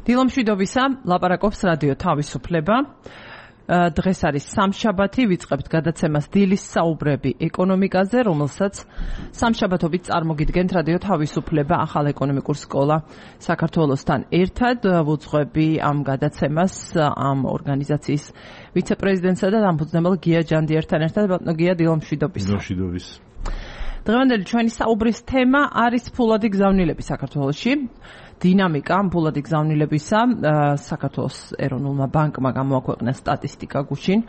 დილომშვიდობისა, ლაპარაკობს რადიო თავისუფლება. დღეს არის სამშაბათი, ვიწყებთ გადაცემას დილის საუბრები ეკონომიკაზე, რომელსაც სამშაბათობით წარმოგიდგენთ რადიო თავისუფლება ახალ ეკონომიკურ სკოლა საქართველოსთან ერთად. ვუძღვები ამ გადაცემას ამ ორგანიზაციის ვიცე-პრეზიდენტსა და დამფუძნებელ გია ჯანდიერთან ერთად. ბატონო გია, დილომშვიდობის. დილომშვიდობის. დღევანდელი ჩვენი საუბრის თემა არის ფულადი გზავნილები საქართველოში. დინამიკა ფულადი გზავნილებისა საქართველოს ეროვნულმა ბანკმა გამოაქვეყნა სტატისტიკა გუშინ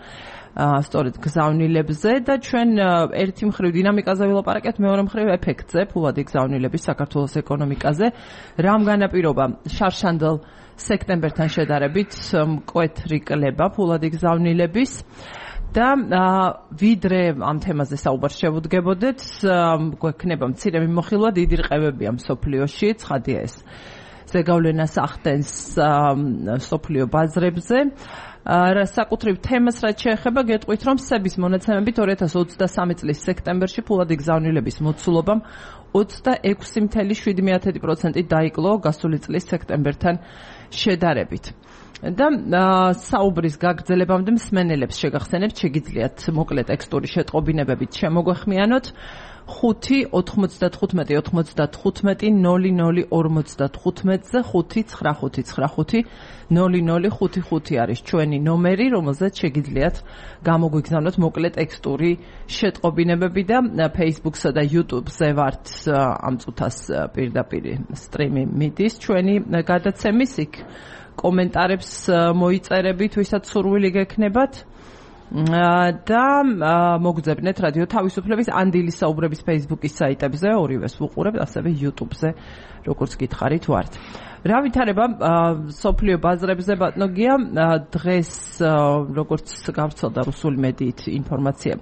სწორედ გზავნილებზე და ჩვენ ერთი მხრივ დინამიკაზე ვილაპარაკეთ, მეორე მხრივ ეფექტზე ფულადი გზავნილების საქართველოს ეკონომიკაზე. რამ განაპირობა შარშანდელ სექტემბერთან შედარებით მკვეთრი კლება ფულადი გზავნილების და ვიდრე ამ თემაზე საუბარს შევუდგებოდეთ, გვექნება მცირე მიმოხილვა, დიდი რყევებია მსოფლიოში, ცხადია ეს ზეგავლენას ახდენს მსოფლიო ბაზრებზე. საკუთრივ თემას რაც შეეხება, გეტყვით, რომ სების მონაცემებით 2023 წლის სექტემბერში ფულადი გზავნილების მოცულობამ 26.7% დაიკლო გასული წლის სექტემბერთან შედარებით. და საუბრის გაგრძელებამდე მსმენელებს შეგახსენებთ, შეგიძლიათ მოკლე ტექსტური შეტყობინებებით შემოგვეხმიანოთ 5-95-95-00-55-00-55-00-55-00-55 არის ჩვენი ნომერი, რომელზეც შეგიძლიათ გამოგვიგზავნოთ მოკლე ტექსტური შეტყობინებები და Facebook-სა და YouTube-ზე ვართ ამ წუთას პირდაპირ სტრიმი მიდის ჩვენი გადაცემის, იქ კომენტარებს მოიწერებით, ვისაც სურვილი გექნებათ და მოგძებნეთ რადიო თავისუფლების ან დილის საუბრების Facebook-ის საიტებზე, ორივეს ვუყურებთ, ასევე YouTube-ზე, როგორც გითხარით ვართ. რა ვითარება სოფლიო ბაზრებზე, ბატონო გია? დღეს როგორც გავრცელდა რუსული მედიით ინფორმაცია,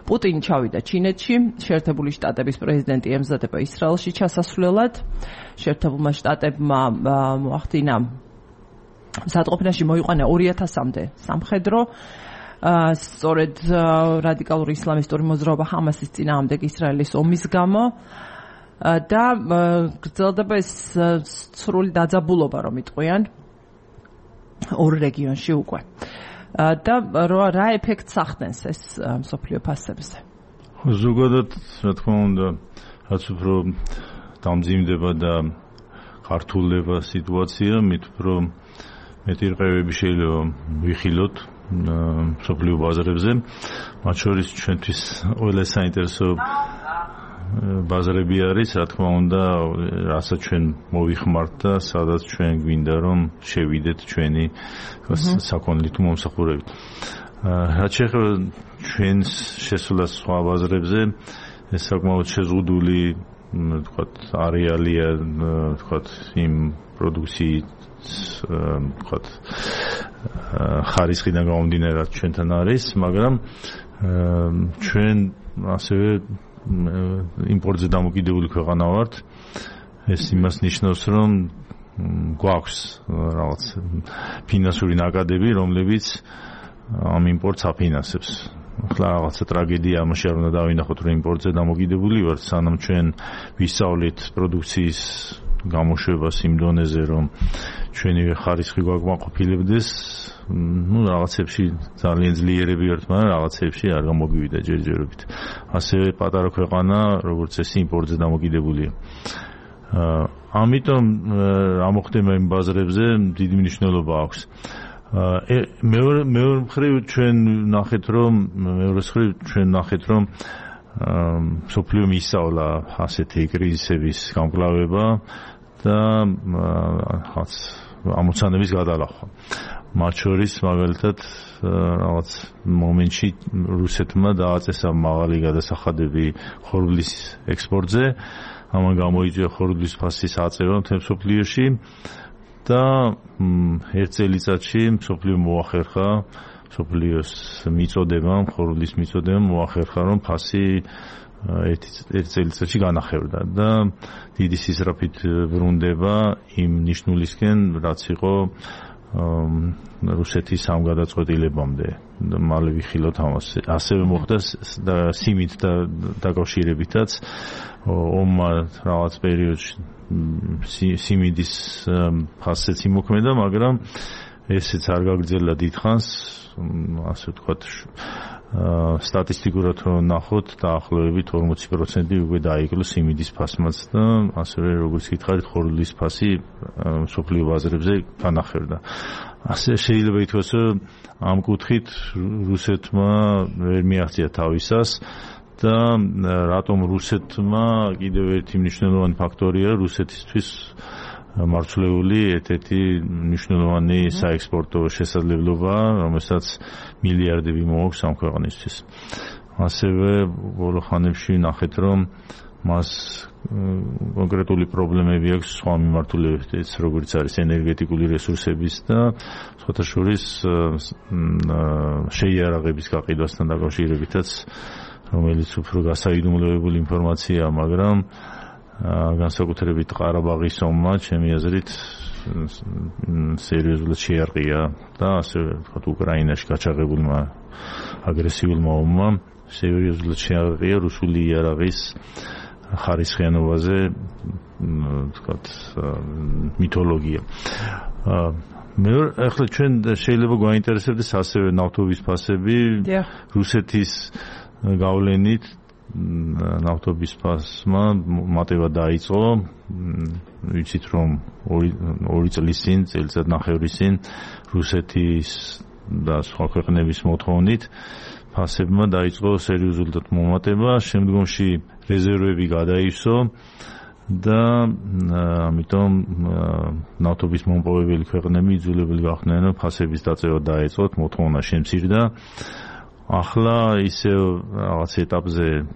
პუტინი ჩავიდა ჩინეთში, შეერთებული შტატების პრეზიდენტი ემზადება ისრაელში ჩასასვლელად. შეერთებულმა შტატებმა მოახდინა მსატყოფნაში მოიყვანა 2000-მდე სამხედრო. სწორედ რადიკალური ისლამისტური მოძრაობა ჰამასის წინააღმდეგ ისრაელის ომის გამო და გრძელდება ეს სრული დაძაბულობა, რომ იტყვიან ორ რეგიონში უკვე. და რა ეფექტს ახდენს ეს მსოფლიო ფასებზე? ზოგადად, რა თქმა უნდა, რაც უფრო დამძიმდება და ქართულდება სიტუაცია, მით უფრო მეტი რყევები შეიძლება ვიხილოთ მსოფლიო ბაზრებზე. მათ შორის ჩვენთვის ყველა საინტერესო ბაზრები არის, რა თქმა უნდა, რასაც ჩვენ მოვიხმართ და სადაც ჩვენ გვინდა რომ შევიდეთ ჩვენი საქონლით მომსახურებით. რაც შეეხება ჩვენს შესვლას სხვა ბაზრებზე, ეს საკმაოდ შეზღუდული, ვთქვათ, არეალია, ვთქვათ, იმ პროდუქციის ვთქვათ ხარისხიდან გამომდინარე რაც ჩვენთან არის, მაგრამ ჩვენ ასევე იმპორტზე დამოკიდებული ქვეყანა ვართ. ეს იმას ნიშნავს, რომ გვაქვს რაღაც ფინანსური ნაკადები, რომლებიც ამ იმპორტს აფინანსებს. ახლა რაღაცა ტრაგედია ამაში არ უნდა დავინახოთ, რომ იმპორტზე დამოკიდებული ვართ, სანამ ჩვენ ვისწავლით პროდუქციის გამოშვებას იმ დონეზე, რომ ჩვენივე ხარისხი გვაკმაყოფილებდეს, რაღაცებში ძალიან ძლიერები ვართ, მაგრამ რაღაცებში არ გამოგივიდა ჯერჯერობით. ასევე პატარა ქვეყანა, როგორც ეს იმპორტზე დამოკიდებულია. ამიტომ ამოხდება იმ ბაზრებზე დიდი მნიშვნელობა აქვს. მეორე მხრივ ჩვენ ნახეთ, რომ მსოფლიო მისწავლა ასეთი კრიზისების გამკლავება და ამოცანების გადალახვა. მათ შორის მაგალითად რაღაც მომენტში რუსეთმა დააწესა მაღალი გადასახადები ხორბლის ექსპორტზე, ამან გამოიწვია ხორბლის ფასის აწევა მთელ მსოფლიოში და ერთ წელიწადში მსოფლიო მოახერხა, მსოფლიოს მიწოდება, ხორბლის მიწოდება მოახერხა, რომ ფასი ერთ წელიწადში განახევდა და დიდი სისწრაფით ბრუნდება იმ ნიშნულისკენ, რაც იყო რუსეთის სამგადაწყვეტილებამდე მალე ვიხილოთ ამას. ასევე მოხდა სიმით დაკავშირებითაც ომმა რაღაც პერიოდში სიმიდის ფასეც იმოქმედა, მაგრამ ესეც არ გაგრძელა დიდხანს, ასე ვთქვათ, სტატისტიკურად რომ ნახოთ, დაახლოებით 40% უკვე დაიკლო სიმიდის ფასმაც და ასევე როგორც გითხარით, ხორბლის ფასი მსოფლიო ბაზრებზე განახერდა. ასე შეიძლება ითქვას, რომ ამ კუთხით რუსეთმა ვერ მიაღწია თავისას და რატომ რუსეთმა კიდევ ერთი მნიშვნელოვანი ფაქტორია რუსეთისთვის მარცვლეული ერთ-ერთი მნიშვნელოვანი საექსპორტო შესაძლებლობა, რომელსაც მილიარდები მოაქვს ამ ქვეყნისთვის. ასევე ბოლო ხანებში ნახეთ, რომ მას კონკრეტული პრობლემები აქვს სხვა მიმართულებებით, როგორც არის ენერგეტიკული რესურსების და სხვათა შორის შეიარაღების გაყიდვასთან დაკავშირებითაც, რომელიც უფრო გასაიდუმლოებული ინფორმაციაა, მაგრამ განსაკუთრებით ყარაბაღის ომმა, ჩემი აზრით, სერიოზულად შეარყია და ასე ვთქვათ, უკრაინაში გაჩაღებულმა აგრესიულმა ომმა სერიოზულად შეარყია რუსული იარაღის ხარისხიანობაზე, ვთქვათ, მითოლოგია. ახლა ჩვენ შეიძლება გვაინტერესებდეს ასევე ნავთობის ფასები, რუსეთის გავლენით ნავთობის ფასმა მატება დაიწყო. ვიცით, რომ 2 წლის წინ, წელიწადნახევრის წინ რუსეთის და სხვა ქვეყნების მოთხოვნით ფასებმა დაიწყო სერიოზულად მომატება, შემდგომში რეზერვები გადაივსო და ამიტომ ნავთობის მომპოვებელი ქვეყნები იძულებული გახდნენ, რომ ფასების დაწევა დაეწყოთ, მოთხოვნა შემცირდა. ახლა ისევ რაღაც ეტაპზე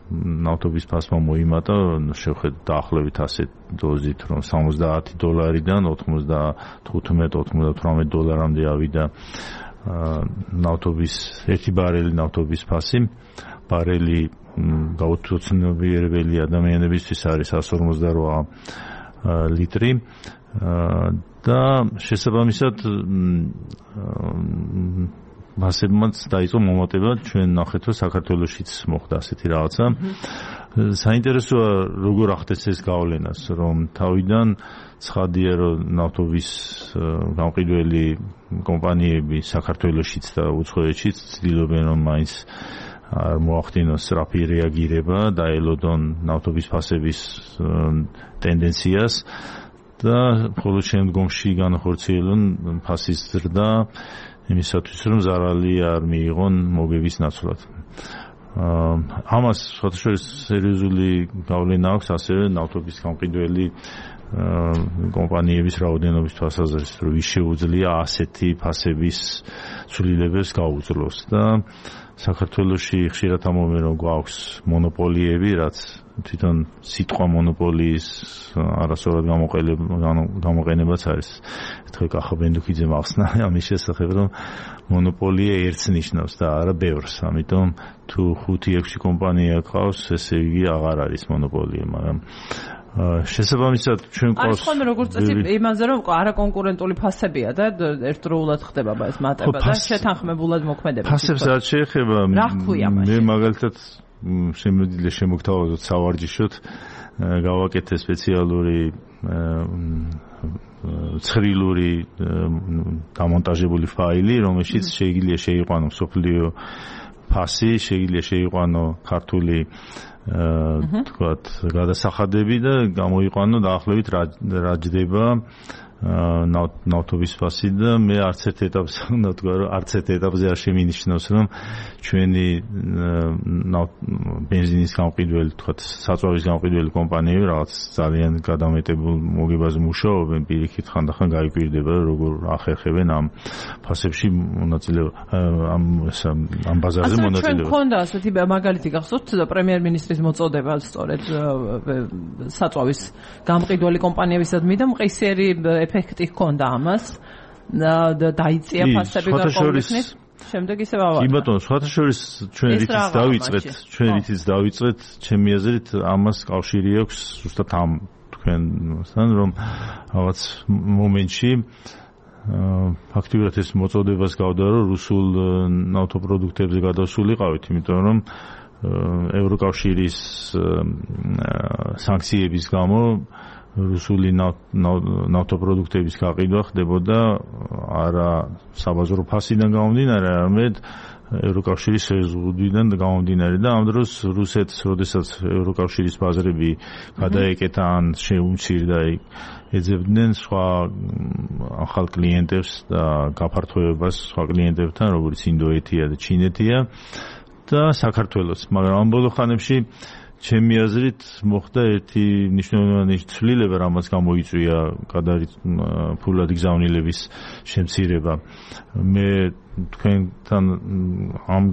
ნავთობის ფასმა მოიმატა, შევხედოთ დაახლოებით ასე დოზით, რომ $70-დან $95-98 ავიდა ნავთობის ერთი ბარელი ნავთობის ფასი. ბარელი გაუცნობიერებელი ადამიანებისთვის არის 158 ლიტრი და შესაბამისად მასებმაც დაიწყო მომატება. ჩვენ ნახეთ, რომ საქართველოშიც მოხდა ასეთი რაღაცა. საინტერესოა როგორ ახდენს ეს გავლენას, რომ თავიდან ცხადია, რომ ნავთობის გამყიდველი კომპანიები საქართველოშიც და უცხოეთშიც ცდილობენ, რომ მაინც არ მოახდინოს სწრაფი რეაგირება, დაელოდონ ნავთობის ფასების ტენდენციას და მხოლოდ შემდგომში განახორციელონ ფასის ზრდა იმისათვის, რომ ზარალი არ მიიღონ მოგების ნაცვლად. ამას სხვადასხვა სერიოზული გავლენა აქვს ასევე ნავთობის გამყიდველი კომპანიების რაოდენობის თვალსაზრისით, რომ ვის შეუძლია ასეთი ფასების ცვლილებებს გაუძლოს და საქართველოში ხშირად ამბობენ, რომ გვაქვს მონოპოლიები, რაც თვითონ სიტყვა მონოპოლიის არასწორად გამოყენებაც არის. ერთხელ კახა ბენდუქიძემ ახსნა ამის შესახებ, რომ მონოპოლია ერთს ნიშნავს და არა ბევრს. ამიტომ თუ 5-6 კომპანია ყავს, ესე იგი აღარ არის მონოპოლია, მაგრამ შესაბამისად ჩვენ ყავს ხოლმე როგორც წესი იმაზე, რომ არაკონკურენტული ფასებია და ერთდროულად ხდება ეს მატება და შეთანხმებულად მოქმედება. ფასებს არ შეეხება. მე მაგალითად შემოგთავაზოთ სავარჯიშოდ გავაკეთე სპეციალური ცხრილური დამონტაჟებული ფაილი, რომელშიც შეიძლება შეიყვანო მსოფლიო ფასი, შეიძლება შეიყვანო ქართული თქვათ გადასახადები და გამოიყვანო დაახლოებით რა ჯდება ნავთობის ფასი და მე არც ერთ ეტაპზე უნდა ვთქვა, რომ არც ერთ ეტაპზე არ შემინიშნოს, რომ ჩვენი ბენზინის გამყიდველი, თქვათ საწვავის გამყიდველი კომპანიები რაღაც ძალიან გადამეტებულ მოგებაზე მუშაობენ, პირიქით ხანდახან გაიკვირდება, როგორ ახერხებენ ამ ფასებში მონაწილეობა, ამ ბაზარზე მონაწილეობა. ჩვენ გქონდა ასეთი მაგალითი გახსოვთ პრემიერ-მინისტრის მოწოდება სწორედ საწვავის გამყიდველი კომპანიებისადმი და მყისიერი ეფექტი ჰქონდა ამას და დაიწია ფასები გარკვეულწილად. შემდეგ ისევ ავარდა. კი ბატონო, სხვათა შორის ჩვენ რითიც დავიწყეთ, ჩემი აზრით ამას კავშირი აქვს ზუსტად ამ თქვენთან, რომ რაღაც მომენტში ფაქტიურად ეს მოწოდებას გავდა, რომ რუსულ ნავთობპროდუქტებზე გადასულიყავით, იმიტომ რომ ევროკავშირის სანქციების გამო რუსული ნავთობპროდუქტების გაყიდვა ხდებოდა არა საბაზრო ფასიდან გამომდინარე, არამედ ევროკავშირის შეზღუდვიდან გამომდინარე და ამ დროს რუსეთს, როდესაც ევროკავშირის ბაზრები გადაეკეთა ან შეუმცირდა, ეძებდნენ სხვა ახალ კლიენტებს და გაფართოებას სხვა კლიენტებთან, როგორც ინდოეთია და ჩინეთია და საქართველოს, მაგრამ ამ ბოლო ხანებში ჩემი აზრით მოხდა ერთი მნიშვნელოვანი ცვლილება, რამაც გამოიწვია ფულადი გზავნილების შემცირება. მე თქვენთან ამ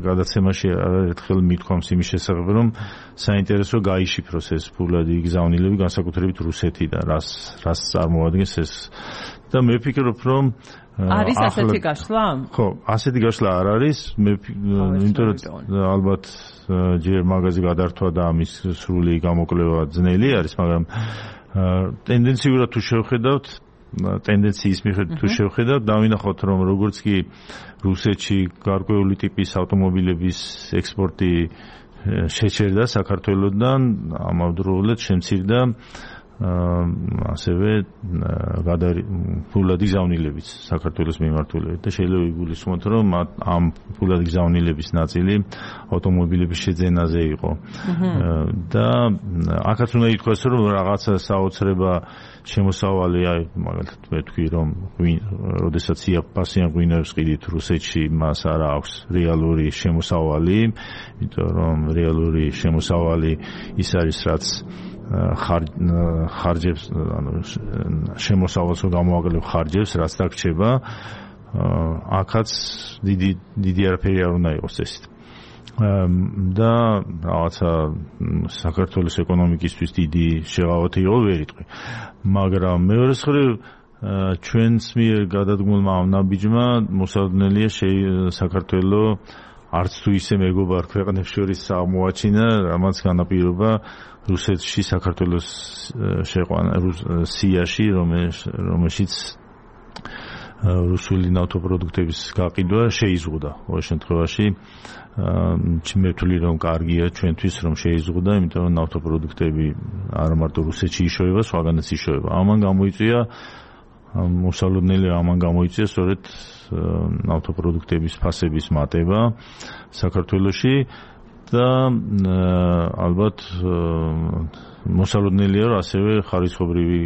გადაცემაში ერთხელ მithქვამს იმის შესახებ, რომ საინტერესო გაიშიფროს ეს ფულადი გზავნილები, განსაკუთრებით რუსეთიდან, რას წარმოადგენს ეს. და მე ვფიქრობ, რომ არის ასეთი გაშლა? ხო, ასეთი გაშლა არ არის. მე იმიტომ ალბათ ჯერ მაგაზე გადართვა და ამის სრული გამოკვლევა ძნელი არის, მაგრამ ტენდენციურად თუ შევხედავთ, ტენდენციის მიხედვით თუ შევხედავთ, დავინახოთ, რომ როგორც კი რუსეთში გარკვეული ტიპის ავტომობილების ექსპორტი შეჩერდა საქართველოსდან, ამავდროულად შემცირდა ასევე ფულადი გზავნილებიც საქართველოს მიმართულებით და შეიძლება იგულისხმოთ, რომ ამ ფულადი გზავნილების ნაწილი ავტომობილების შეძენაზე იყო. და აქაც უნდა ითქვას, რომ რაღაცა საოცრება შემოსავალი, მაგალითად მე თქვი, რომ როდესაც იაფფასიან ღვინოებს ყიდით რუსეთში, მას არ აქვს რეალური შემოსავალი, იმიტომ რომ რეალური შემოსავალი ის არის, რაც ხარჯებს, შემოსავალს გამოაკლებ ხარჯებს, რაც დაგრჩება, აქაც დიდი არაფერი არ უნდა იყოს წესით. და რაღაცა საქართველოს ეკონომიკისთვის დიდი შეღავათი იყო, ვერ იტყვი. მაგრამ მეორე მხრივ ჩვენს მიერ გადადგმულმა ამ ნაბიჯმა მოსალოდნელია საქართველოს არც თუ ისე მეგობარ ქვეყნებს შორის აღმოაჩინა, რამაც განაპირობა რუსეთში საქართველოს შეყვანა სიაში, რომელშიც რუსული ნავთობპროდუქტების გაყიდვა შეიზღუდა. ყოველ შემთხვევაში მე ვთვლი, რომ კარგია ჩვენთვის, რომ შეიზღუდა, იმიტომ რომ ნავთობპროდუქტები არა მარტო რუსეთში იშოვება, სხვაგანაც იშოვება. ამან გამოიწვია მოსალოდნელი სწორედ ნავთობპროდუქტების ფასების მატება საქართველოში და ალბათ მოსალოდნელია, რომ ასევე ხარისხობრივი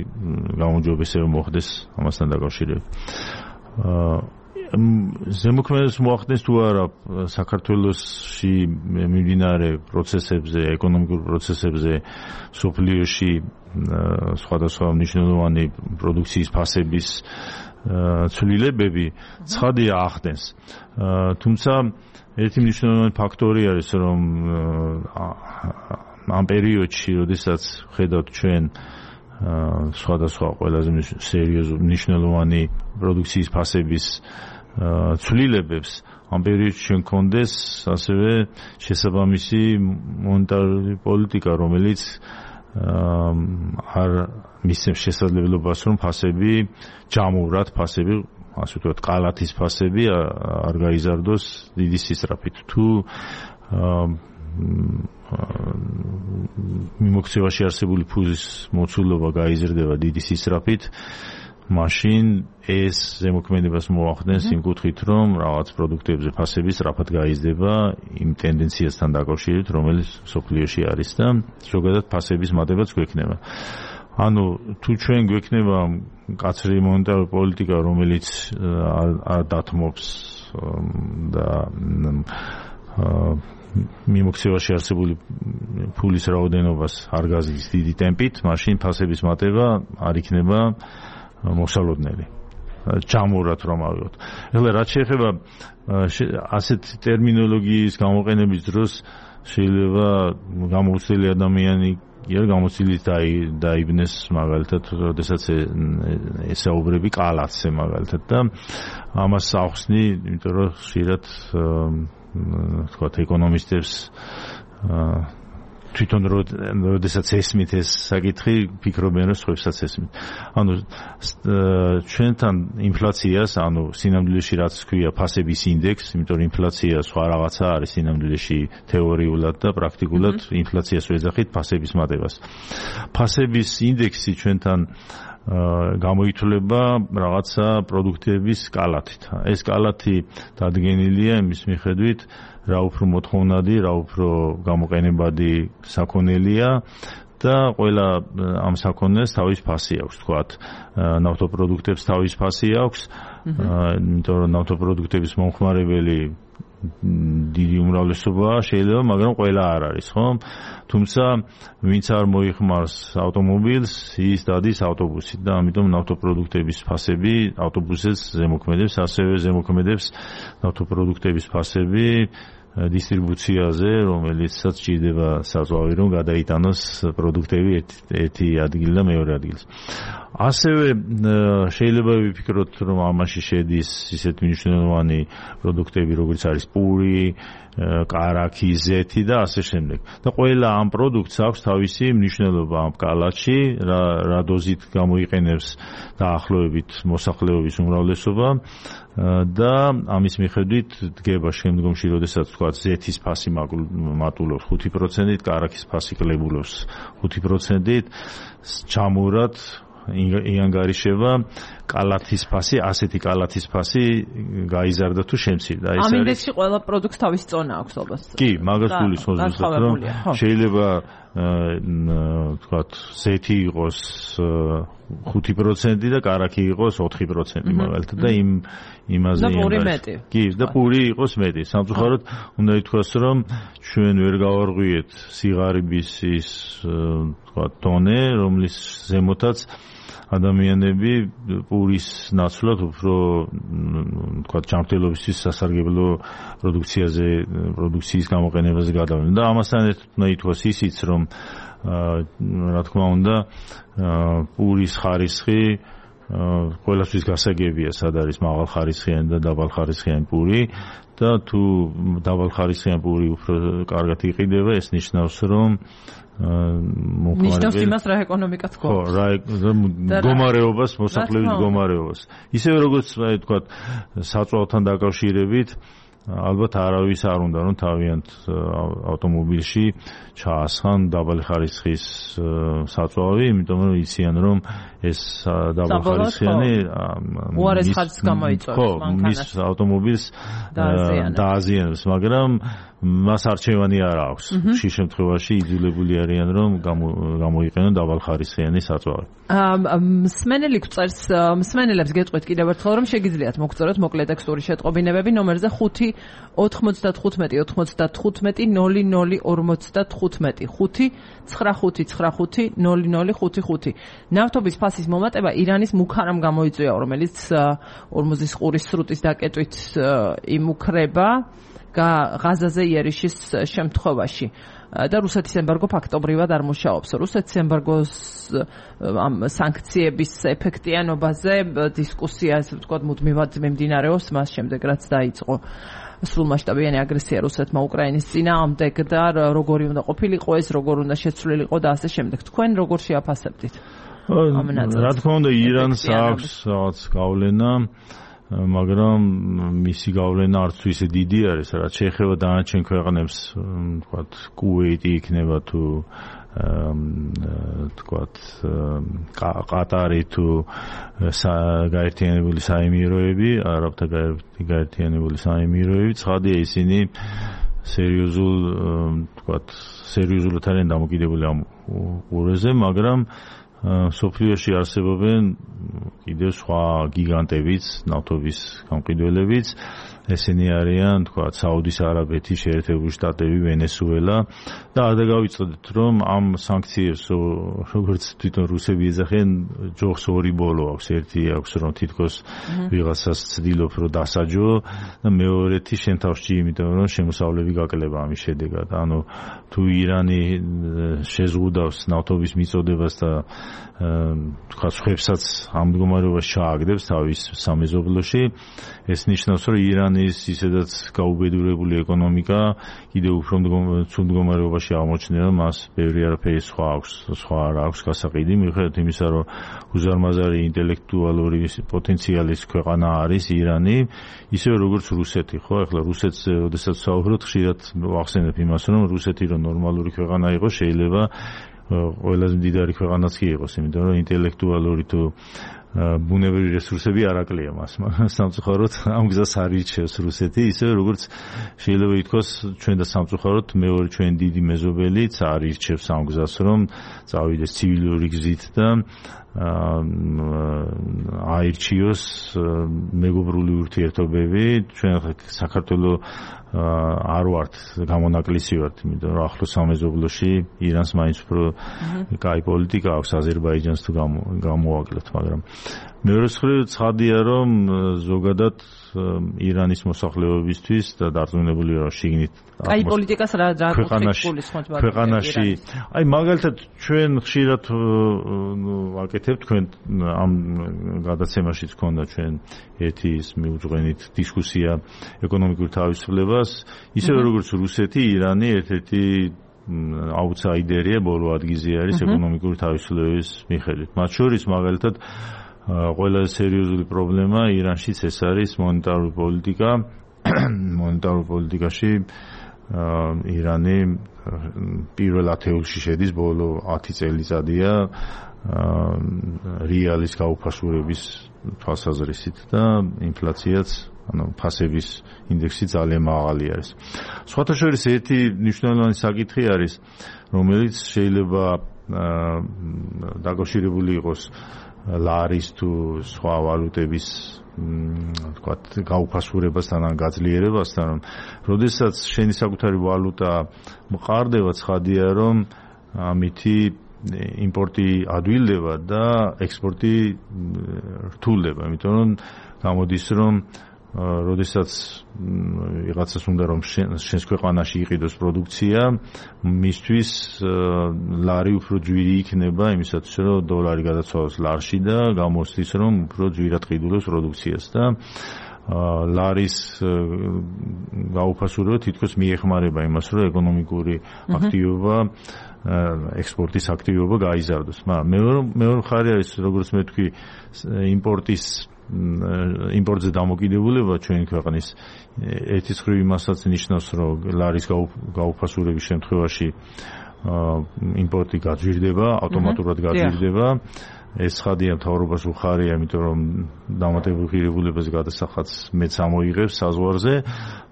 გამოძიებისება მოხდეს ამასთან დაკავშირებით. ზემოქმედებას მოახდენს თუ არა საქართველოში მიმდინარე პროცესებზე, ეკონომიკურ პროცესებზე, სოფლიოში სხვადასხვა მნიშვნელოვანი პროდუქციის ფასების ცვლილებები, ცხადია ახდენს. თუმცა ერთი მნიშვნელოვანი ფაქტორი არის, რომ ამ პერიოდში, როდესაც ხედავთ ჩვენ სხვადასხვა ყველაზე სერიოზული მნიშვნელოვანი პროდუქციის ფასების ცვლილებებს, ამ პერიოდში ჩვენ გქონდეს ასევე შესაბამისი მონეტარული პოლიტიკა, რომელიც არ მისცემს შესაძლებლობას, რომ ფასები ჯამურად, ასე ვთქვათ, ყალათის ფასები არ გაიზარდოს დიდი სისწრაფით. თუ მიმოქცევაში არსებული ფულის მოცულობა გაიზრდება დიდი სისწრაფით, მაშინ ეს ზემოქმედებას მოახდენს იმ კუთხით, რომ რაღაც პროდუქტებზე ფასები სწრაფად გაიზრდება იმ ტენდენციასთან დაკავშირებით, რომელიც სოფლიოში არის და ზოგადად ფასების მატებაც გვექნება. ანუ თუ ჩვენ გვექნება მკაცრი მონეტარული პოლიტიკა, რომელიც არ დათმობს და მიმოქცევაში არსებული ფულის რაოდენობას არ გაზრდის დიდი ტემპით, მაშინ ფასების მატება არ იქნება მოსალოდნელი. ჯამურად რომ ავიღოთ. ეხლა რაც შეეხება ასეთ ტერმინოლოგიის გამოყენების დროს შეიძლება გამოუცდელი ადამიანი გამოცდილით დაიბნეს მაგალითად, როდესაც ესაუბრები ყალათზე მაგალითად და ამას ახსნი, იმიტომ რომ ხშირად თქვათ ეკონომისტებს თვითონ როდესაც ესმით ეს საკითხი, ფიქრობენ რომ სხვებსაც ესმით. ანუ ჩვენთან ინფლაციას, ანუ სინამდვილეში რაც ქვია ფასების ინდექს, იმიტომ რომ ინფლაცია სხვა რაღაცა არის სინამდვილეში თეორიულად და პრაქტიკულად ინფლაციას ვეძახით ფასების მატებას. ფასების ინდექსი ჩვენთან გამოითვლება რაღაცა პროდუქტების კალათით. ეს კალათი დადგენილია იმის მიხედვით, რა უფრო მოთხოვნადი, რა უფრო გამოყენებადი საქონელია და ყველა ამ საქონელს თავის ფასი აქვს, თქვათ, ნავთობპროდუქტებს თავის ფასი აქვს, იმიტომ რომ ნავთობპროდუქტების მომხმარებელი დიდი უმრავლესობაა შეიძლება, მაგრამ ყველა არ არის, ხო? თუმცა ვინც არ მოიხმარს ავტომობილს, ის დადის ავტობუსით და ამიტომ ნავთობპროდუქტების ფასები ავტობუსებს ზემოქმედებს, ასევე ზემოქმედებს ნავთობპროდუქტების ფასები დისტრიბუციაზე, რომელიცაც ჭირდება საზღვავი, რომ გადაიტანოს პროდუქტები ერთი ადგილიდან მეორე ადგილს. ასევე შეიძლება ვიფიქროთ, რომ ამაში შედის ისეთ მნიშვნელოვანი პროდუქტები, როგორც არის პური, კარაქი, ზეთი და ასე შემდეგ. და ყველა ამ პროდუქტს აქვს თავისი მნიშვნელობა ამ კალათში, რა დოზით გამოიყენებს დაახლოებით მოსახლეობის უმრავლესობა და ამის მიხედვით დგება შემდგომში, როდესაც თქვა ზეთის ფასი მატულობს 5%-ით, კარაქის ფასი კლებულობს 5%-ით, ჩამურად იანგარიშება კალათის ფასი, ასეთი კალათის ფასი გაიზარდა თუ შემცირდა. ამ ინდექსში ყველა პროდუქტს თავისი წონა აქვს ალბათ. კი, მაგას გულისხმობს, რომ შეიძლება თქვათ ზეთი იყოს 5% და კარაქი იყოს 4% მაგალითად და იმაზე იმაზე. კი, და პური იყოს მეტი. სამწუხაროდ უნდა ითქვას, რომ ჩვენ ვერ გავარღვიეთ სიღარიბის ის თქვათ ტონე, რომლის ზემოთაც ადამიანები პურის ნაცვლად უფრო თქვათ ჯანმრთელობისთვის სასარგებლო პროდუქციის გამოყენებაზე გადავიდნენ და ამასთან ერთად უნდა ითქვას ისიც, რომ რა თქმა უნდა პურის ხარისხი ყველასთვის გასაგებია, სად არის მაღალხარისხიანი და დაბალხარისხიანი პური და თუ დაბალხარისხიანი პური უფრო კარგად იყიდება, ეს ნიშნავს, რომ ნიშნავს იმას, რა ეკონომიკაც გვაქვს. ხო, რა მდგომარეობას, მოსახლეობის მდგომარეობას. ისევე როგორც თქვათ, საწვავთან დაკავშირებით ალბათ არავის არ უნდა რომ თავიანთ ავტომობილში ჩაასხან დაბალი ხარისხის საწვავი, იმიტომ რომ იციან რომ ეს დაბალხარისხიანი უარეს ხარისხს გამოიწვევს მანქანას. მის ავტომობილს დააზიანებს, მაგრამ მას არჩევანი არ აქვს. ხშირ შემთხვევაში იძულებული არიან რომ გამოიყენონ დაბალხარისხიანი საწვავი. მსმენელი გვწერს, მსმენელებს გეტყვით კიდევ ერთხელ, რომ შეგიძლიათ მოგწეროთ მოკლე ტექსტური შეტყობინებები ნომერზე 5 95 95 00 55 5 95 0055. ნავთობის ფასის მომატება ირანის მუქარამ გამოიწვია, რომელიც ორმოზის ყურის სრუტის დაკეტვით იმუქრება ღაზაზე იერიშის შემთხვევაში. და რუსეთის ემბარგო ფაქტობრივად არ მუშაობს. რუსეთის ემბარგოს ამ სანქციების ეფექტიანობაზე დისკუსია, ასე ვთქვათ, მუდმივად მიმდინარეობს მას შემდეგ, რაც დაიწყო სრულმასშტაბიანი აგრესია რუსეთმა უკრაინის წინააღმდეგ და როგორი უნდა ყოფილიყო ეს, როგორ უნდა შეცვლილიყო და ასე შემდეგ. თქვენ როგორ შეაფასებდით? რა თქმა უნდა, ირანს აქვს რაღაც გავლენა, მაგრამ მისი გავლენა არც ისე დიდი არის, რაც შეეხება დანარჩენ ქვეყნებს, თქვათ, კუვეიტი იქნება თუ თქვათ ყატარი თუ გაერთიანებული საემიროები, არაბთა გაერთიანებული საემიროები, ცხადია ისინი სერიოზულად არიან დამოკიდებული ამ ყურეზე, მაგრამ სოფლიოში არსებობენ კიდევ სხვა გიგანტებიც, ნავთობის გამყიდველებიც, ესენი არიან, თქვათ, საუდის არაბეთი, შეერთებული შტატები, ვენესუელა და არ დავიწყდეთ, რომ ამ სანქციებს, როგორც თვითონ რუსები ეძახიან, ჯოხს ორი ბოლო აქვს. ერთი აქვს, რომ თითქოს ვიღაცას ცდილობ, რომ დასაჯო და მეორეთი შენ თავში, იმიტომ რომ შემოსავლები გაკლება ამის შედეგად. ანუ თუ ირანი შეზღუდავს ნავთობის მიწოდებას და თქვათ, სხვებსაც ამ მდგომარეობას ჩააგდებს თავის სამეზობლოში, ეს ნიშნავს, რომ ირანი ირანის ისედაც გაუბედურებული ეკონომიკა კიდევ უფრო ცუდ მდგომარეობაში აღმოჩნდება, მას ბევრი არაფერი სხვა არ აქვს გასაყიდი, მიუხედავად იმისა, რომ უზარმაზარი ინტელექტუალური პოტენციალის ქვეყანა არის ირანი, ისევე როგორც რუსეთი, ხო? ახლა რუსეთზე, როდესაც საუბრობთ, ხშირად ვახსენებ იმას, რომ რუსეთი რომ ნორმალური ქვეყანა იყოს, შეიძლება ყველაზე მდიდარი ქვეყანაც კი იყოს, იმიტომ რომ ინტელექტუალური თუ ბუნებრივი რესურსები არ აკლია მას, მაგრამ სამწუხაროდ ამ გზას არ ირჩევს რუსეთი, ისევე როგორც შეიძლება ითქვას ჩვენ და სამწუხაროდ მეორე ჩვენ დიდი მეზობელიც არ ირჩევს ამ გზას, რომ წავიდეს ცივილური გზით და აირჩიოს მეგობრული ურთიერთობები. ჩვენ საქართველოს არ ვართ გამონაკლისი ვართ, იმიტომ რომ ახლოს სამეზობლოში ირანს მაინც უფრო კაი პოლიტიკა აქვს, აზერბაიჯანს თუ გამოაკლოთ, მაგრამ მეორე მხრივ ცხადია, რომ ზოგადად ირანის მოსახლეობისთვის და დარწმუნებული ვარ შიგნით კაი პოლიტიკას რა ქვეყანაში, აი მაგალითად ჩვენ ხშირად ვაკეთებთ, თქვენ ამ გადაცემაშიც ქონდა ჩვენ ერთი ის მიუძღვენით დისკუსია ეკონომიკურ თავისუფლებას, ისევე როგორც რუსეთი, ირანი ერთ-ერთი აუთსაიდერია, ბოლო ადგილზე არის ეკონომიკური თავისუფლების მიხედვით. მათ შორის მაგალითად ყველაზე სერიოზული პრობლემა ირანშიც ეს არის მონეტარული პოლიტიკა. მონეტარულ პოლიტიკაში ირანი პირველ ათეულში შედის, ბოლო 10 წელიწადია რეალის გაუფასურების თვალსაზრისით და ინფლაციაც, ფასების ინდექსი ძალიან მაღალი არის. სხვათა შორის ერთი მნიშვნელოვანი საკითხი არის, რომელიც შეიძლება დაკავშირებული იყოს ლარის თუ სხვა ვალუტების თქვათ გაუფასურებასთან ან გაძლიერებასთან, რომ როდესაც შენი საკუთარი ვალუტა მყარდება, ცხადია, რომ ამითი იმპორტი ადვილდება და ექსპორტი რთულდება, იმიტომ რომ გამოდის, რომ როდესაც ვიღაცას უნდა რომ შენს ქვეყანაში იყიდოს პროდუქცია, მისთვის ლარი უფრო ჯვირი იქნება იმისათვის, რომ დოლარი გადაცვალოს ლარში და გამოსდის, რომ უფრო ჯვირად ყიდულობს პროდუქციას და ლარის გაუფასურება თითქოს მიეხმარება იმას, რომ ეკონომიკური აქტივობა, ექსპორტის აქტივობა გაიზარდოს. მაგრამ მეორე მხარე არის, როგორც მე ვთქვი, იმპორტზე დამოკიდებულება ჩვენი ქვეყნის ერთის მხრივ იმასაც ნიშნავს, რომ ლარის გაუფასურების შემთხვევაში იმპორტი გაძვირდება, ავტომატურად გაძვირდება. ეს ცხადია, მთავრობას უხარია, იმიტომ რომ დამატებულ ღირებულებაზე გადასახადს მეც ამოიღებს საზღვარზე,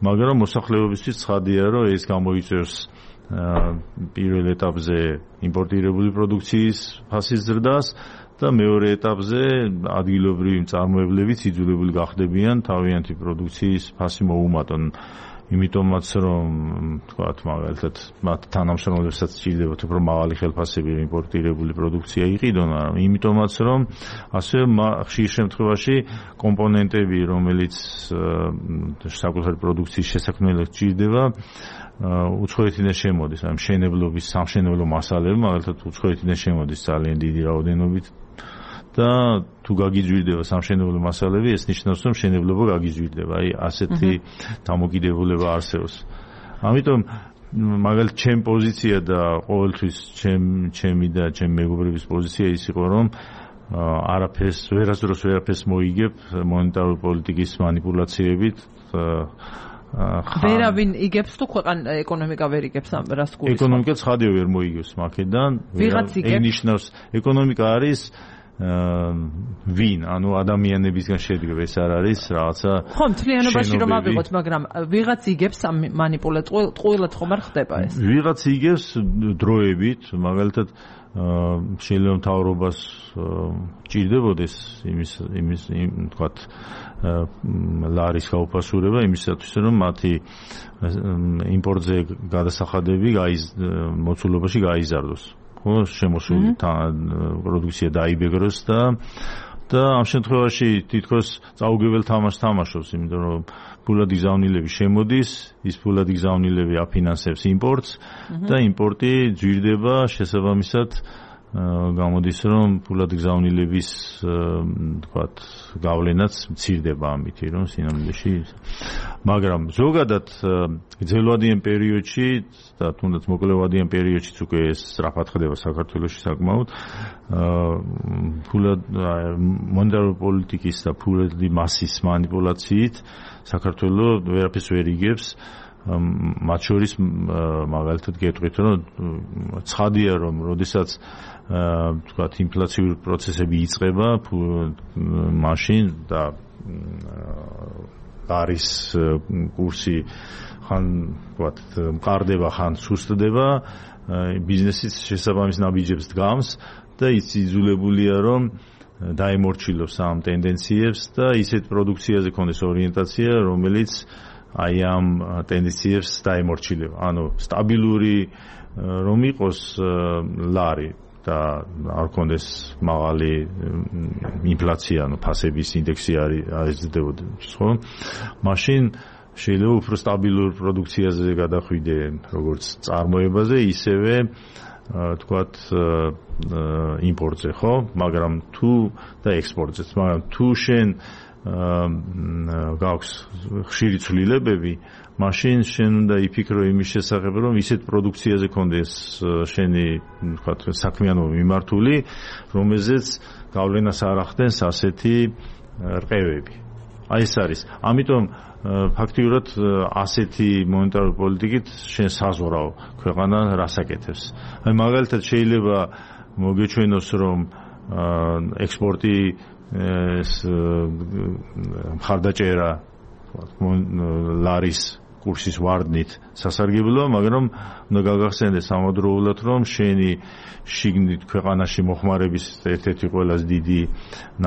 მაგრამ მოსახლეობისთვის ცხადია, რომ ეს გამოიწვევს პირველ ეტაპზე იმპორტირებული პროდუქციის ფასის ზრდას და მეორე ეტაპზე ადგილობრივი მწარმოებლებიც იძულებული გახდებიან თავიანთი პროდუქციის ფასი მოუმატონ. იმიტომაც რომ თქვათ მაგალითად მათ თანამშრომლებსაც სჭირდებათ უფრო მაღალი ხელფასები იმპორტირებული პროდუქცია იყიდონ, იმიტომაც რომ ასევე ხშირ შემთხვევაში კომპონენტები, რომელიც საკუთარი პროდუქციის შესაქმნელად სჭირდება, უცხოეთიდან შემოდის, ან მშენებლობის, სამშენებლო მასალები მაგალითად უცხოეთიდან შემოდის ძალიან დიდი რაოდენობით და თუ გაგიძვირდება სამშენებლო მასალები, ეს ნიშნავს, რომ მშენებლობა გაგიძვირდება. აი ასეთი დამოკიდებულება არსებობს. ამიტომ მაგალითად ჩემი პოზიცია და ყოველთვის ჩემი და ჩემი მეგობრების პოზიცია ის იყო, რომ ვერასდროს ვერაფერს მოიგებ მონეტარული პოლიტიკის მანიპულაციებით. ვერავინ იგებს თუ ქვეყანა ეკონომიკა ვერ იგებს ამ რას გულისხმობ? ეკონომიკა ცხადია ვერ მოიგებს მაქედან. ვიღაც იგებს. ნიშნავს ეკონომიკა არის ვინ, ანუ ადამიანებისგან შედგება, ეს არ არის რაღაცა. ხო, მთლიანობაში რომ ავიღოთ, მაგრამ ვიღაც იგებს ამ მანიპულაციას, ყოველად ხომ არ ხდება ეს? ვიღაც იგებს დროებით, მაგალითად შეიძლება მთავრობას ჭირდებოდეს იმის თქვათ ლარის გაუფასურება იმისათვის, რომ მათი იმპორტზე გადასახადები მოცულობაში გაიზარდოს. ხო, შემოსული პროდუქცია დაიბეგროს და ამ შემთხვევაში თითქოს წაუგებელ თამაშს თამაშობს, იმიტომ რომ ფულადი გზავნილები შემოდის, ის ფულადი გზავნილები აფინანსებს იმპორტს და იმპორტი ძვირდება შესაბამისად გამოდის რომ ფულად გზავნილების თქვათ გავლენაც მცირდება ამით რომ სინამდვილეში მაგრამ ზოგადად გრძელვადიან პერიოდში და თუნდაც მოკლევადიან პერიოდშიც უკვე ეს სწრაფად ხდება საქართველოში საკმაოდ ფულად მონეტარული პოლიტიკის და ფულადი მასის манипуляციით საქართველოს ვერაფერს ვერ იგებს მათ შორის მაგალითად გეტყვით რომ ცხადია რომ როდესაც თქვათ ინფლაციური პროცესები იწყება მაშინ და არის კურსი ხან თქვათ მყარდება ხან სუსტდება ბიზნესის შესაბამის ნაბიჯებს დგამს და ის იძულებულია რომ დაემორჩილოს ამ ტენდენციებს და ისეთ პროდუქციაზე ქონდეს ორიენტაცია რომელიც აი ამ ტენდენციებს დაემორჩილება ანუ სტაბილური რომ იყოს ლარი და არ კონდეს მაღალი ინფლაცია, ანუ ფასების ინდექსი არ იზრდებოდეს, ხო? მაშინ შეიძლება უფრო სტაბილურ პროდუქციაზე გადახვიდე, როგორც წარმოებაზე, ისევე თქვათ იმპორტზე, ხო? მაგრამ თუ და ექსპორტზეც, მაგრამ თუ შენ გაქვს ხშირი ცვლილებები მაშინ შენ უნდა იფიქრო იმის შესახებ რომ ისეთ პროდუქციაზე კონდეს შენი ვთქვათ საქმიანობა მიმართული რომელზეც გავლენას არ ახდენს ასეთი რყევები აი ეს არის ამიტომ ფაქტიურად ასეთი მონეტარული პოლიტიკით შენ საზღვაო ქვეყანა რასაკეთებს აი მაგალითად შეიძლება მოგეჩვენოს რომ ექსპორტი ეს მხარდაჭერა ლარის კურსის ვარდნით სასარგებლოა, მაგრამ უნდა გაგახსენდეს ამავდროულად, რომ შენი შიგნით ქვეყანაში მოხმარების ერთ-ერთი ყველაზე დიდი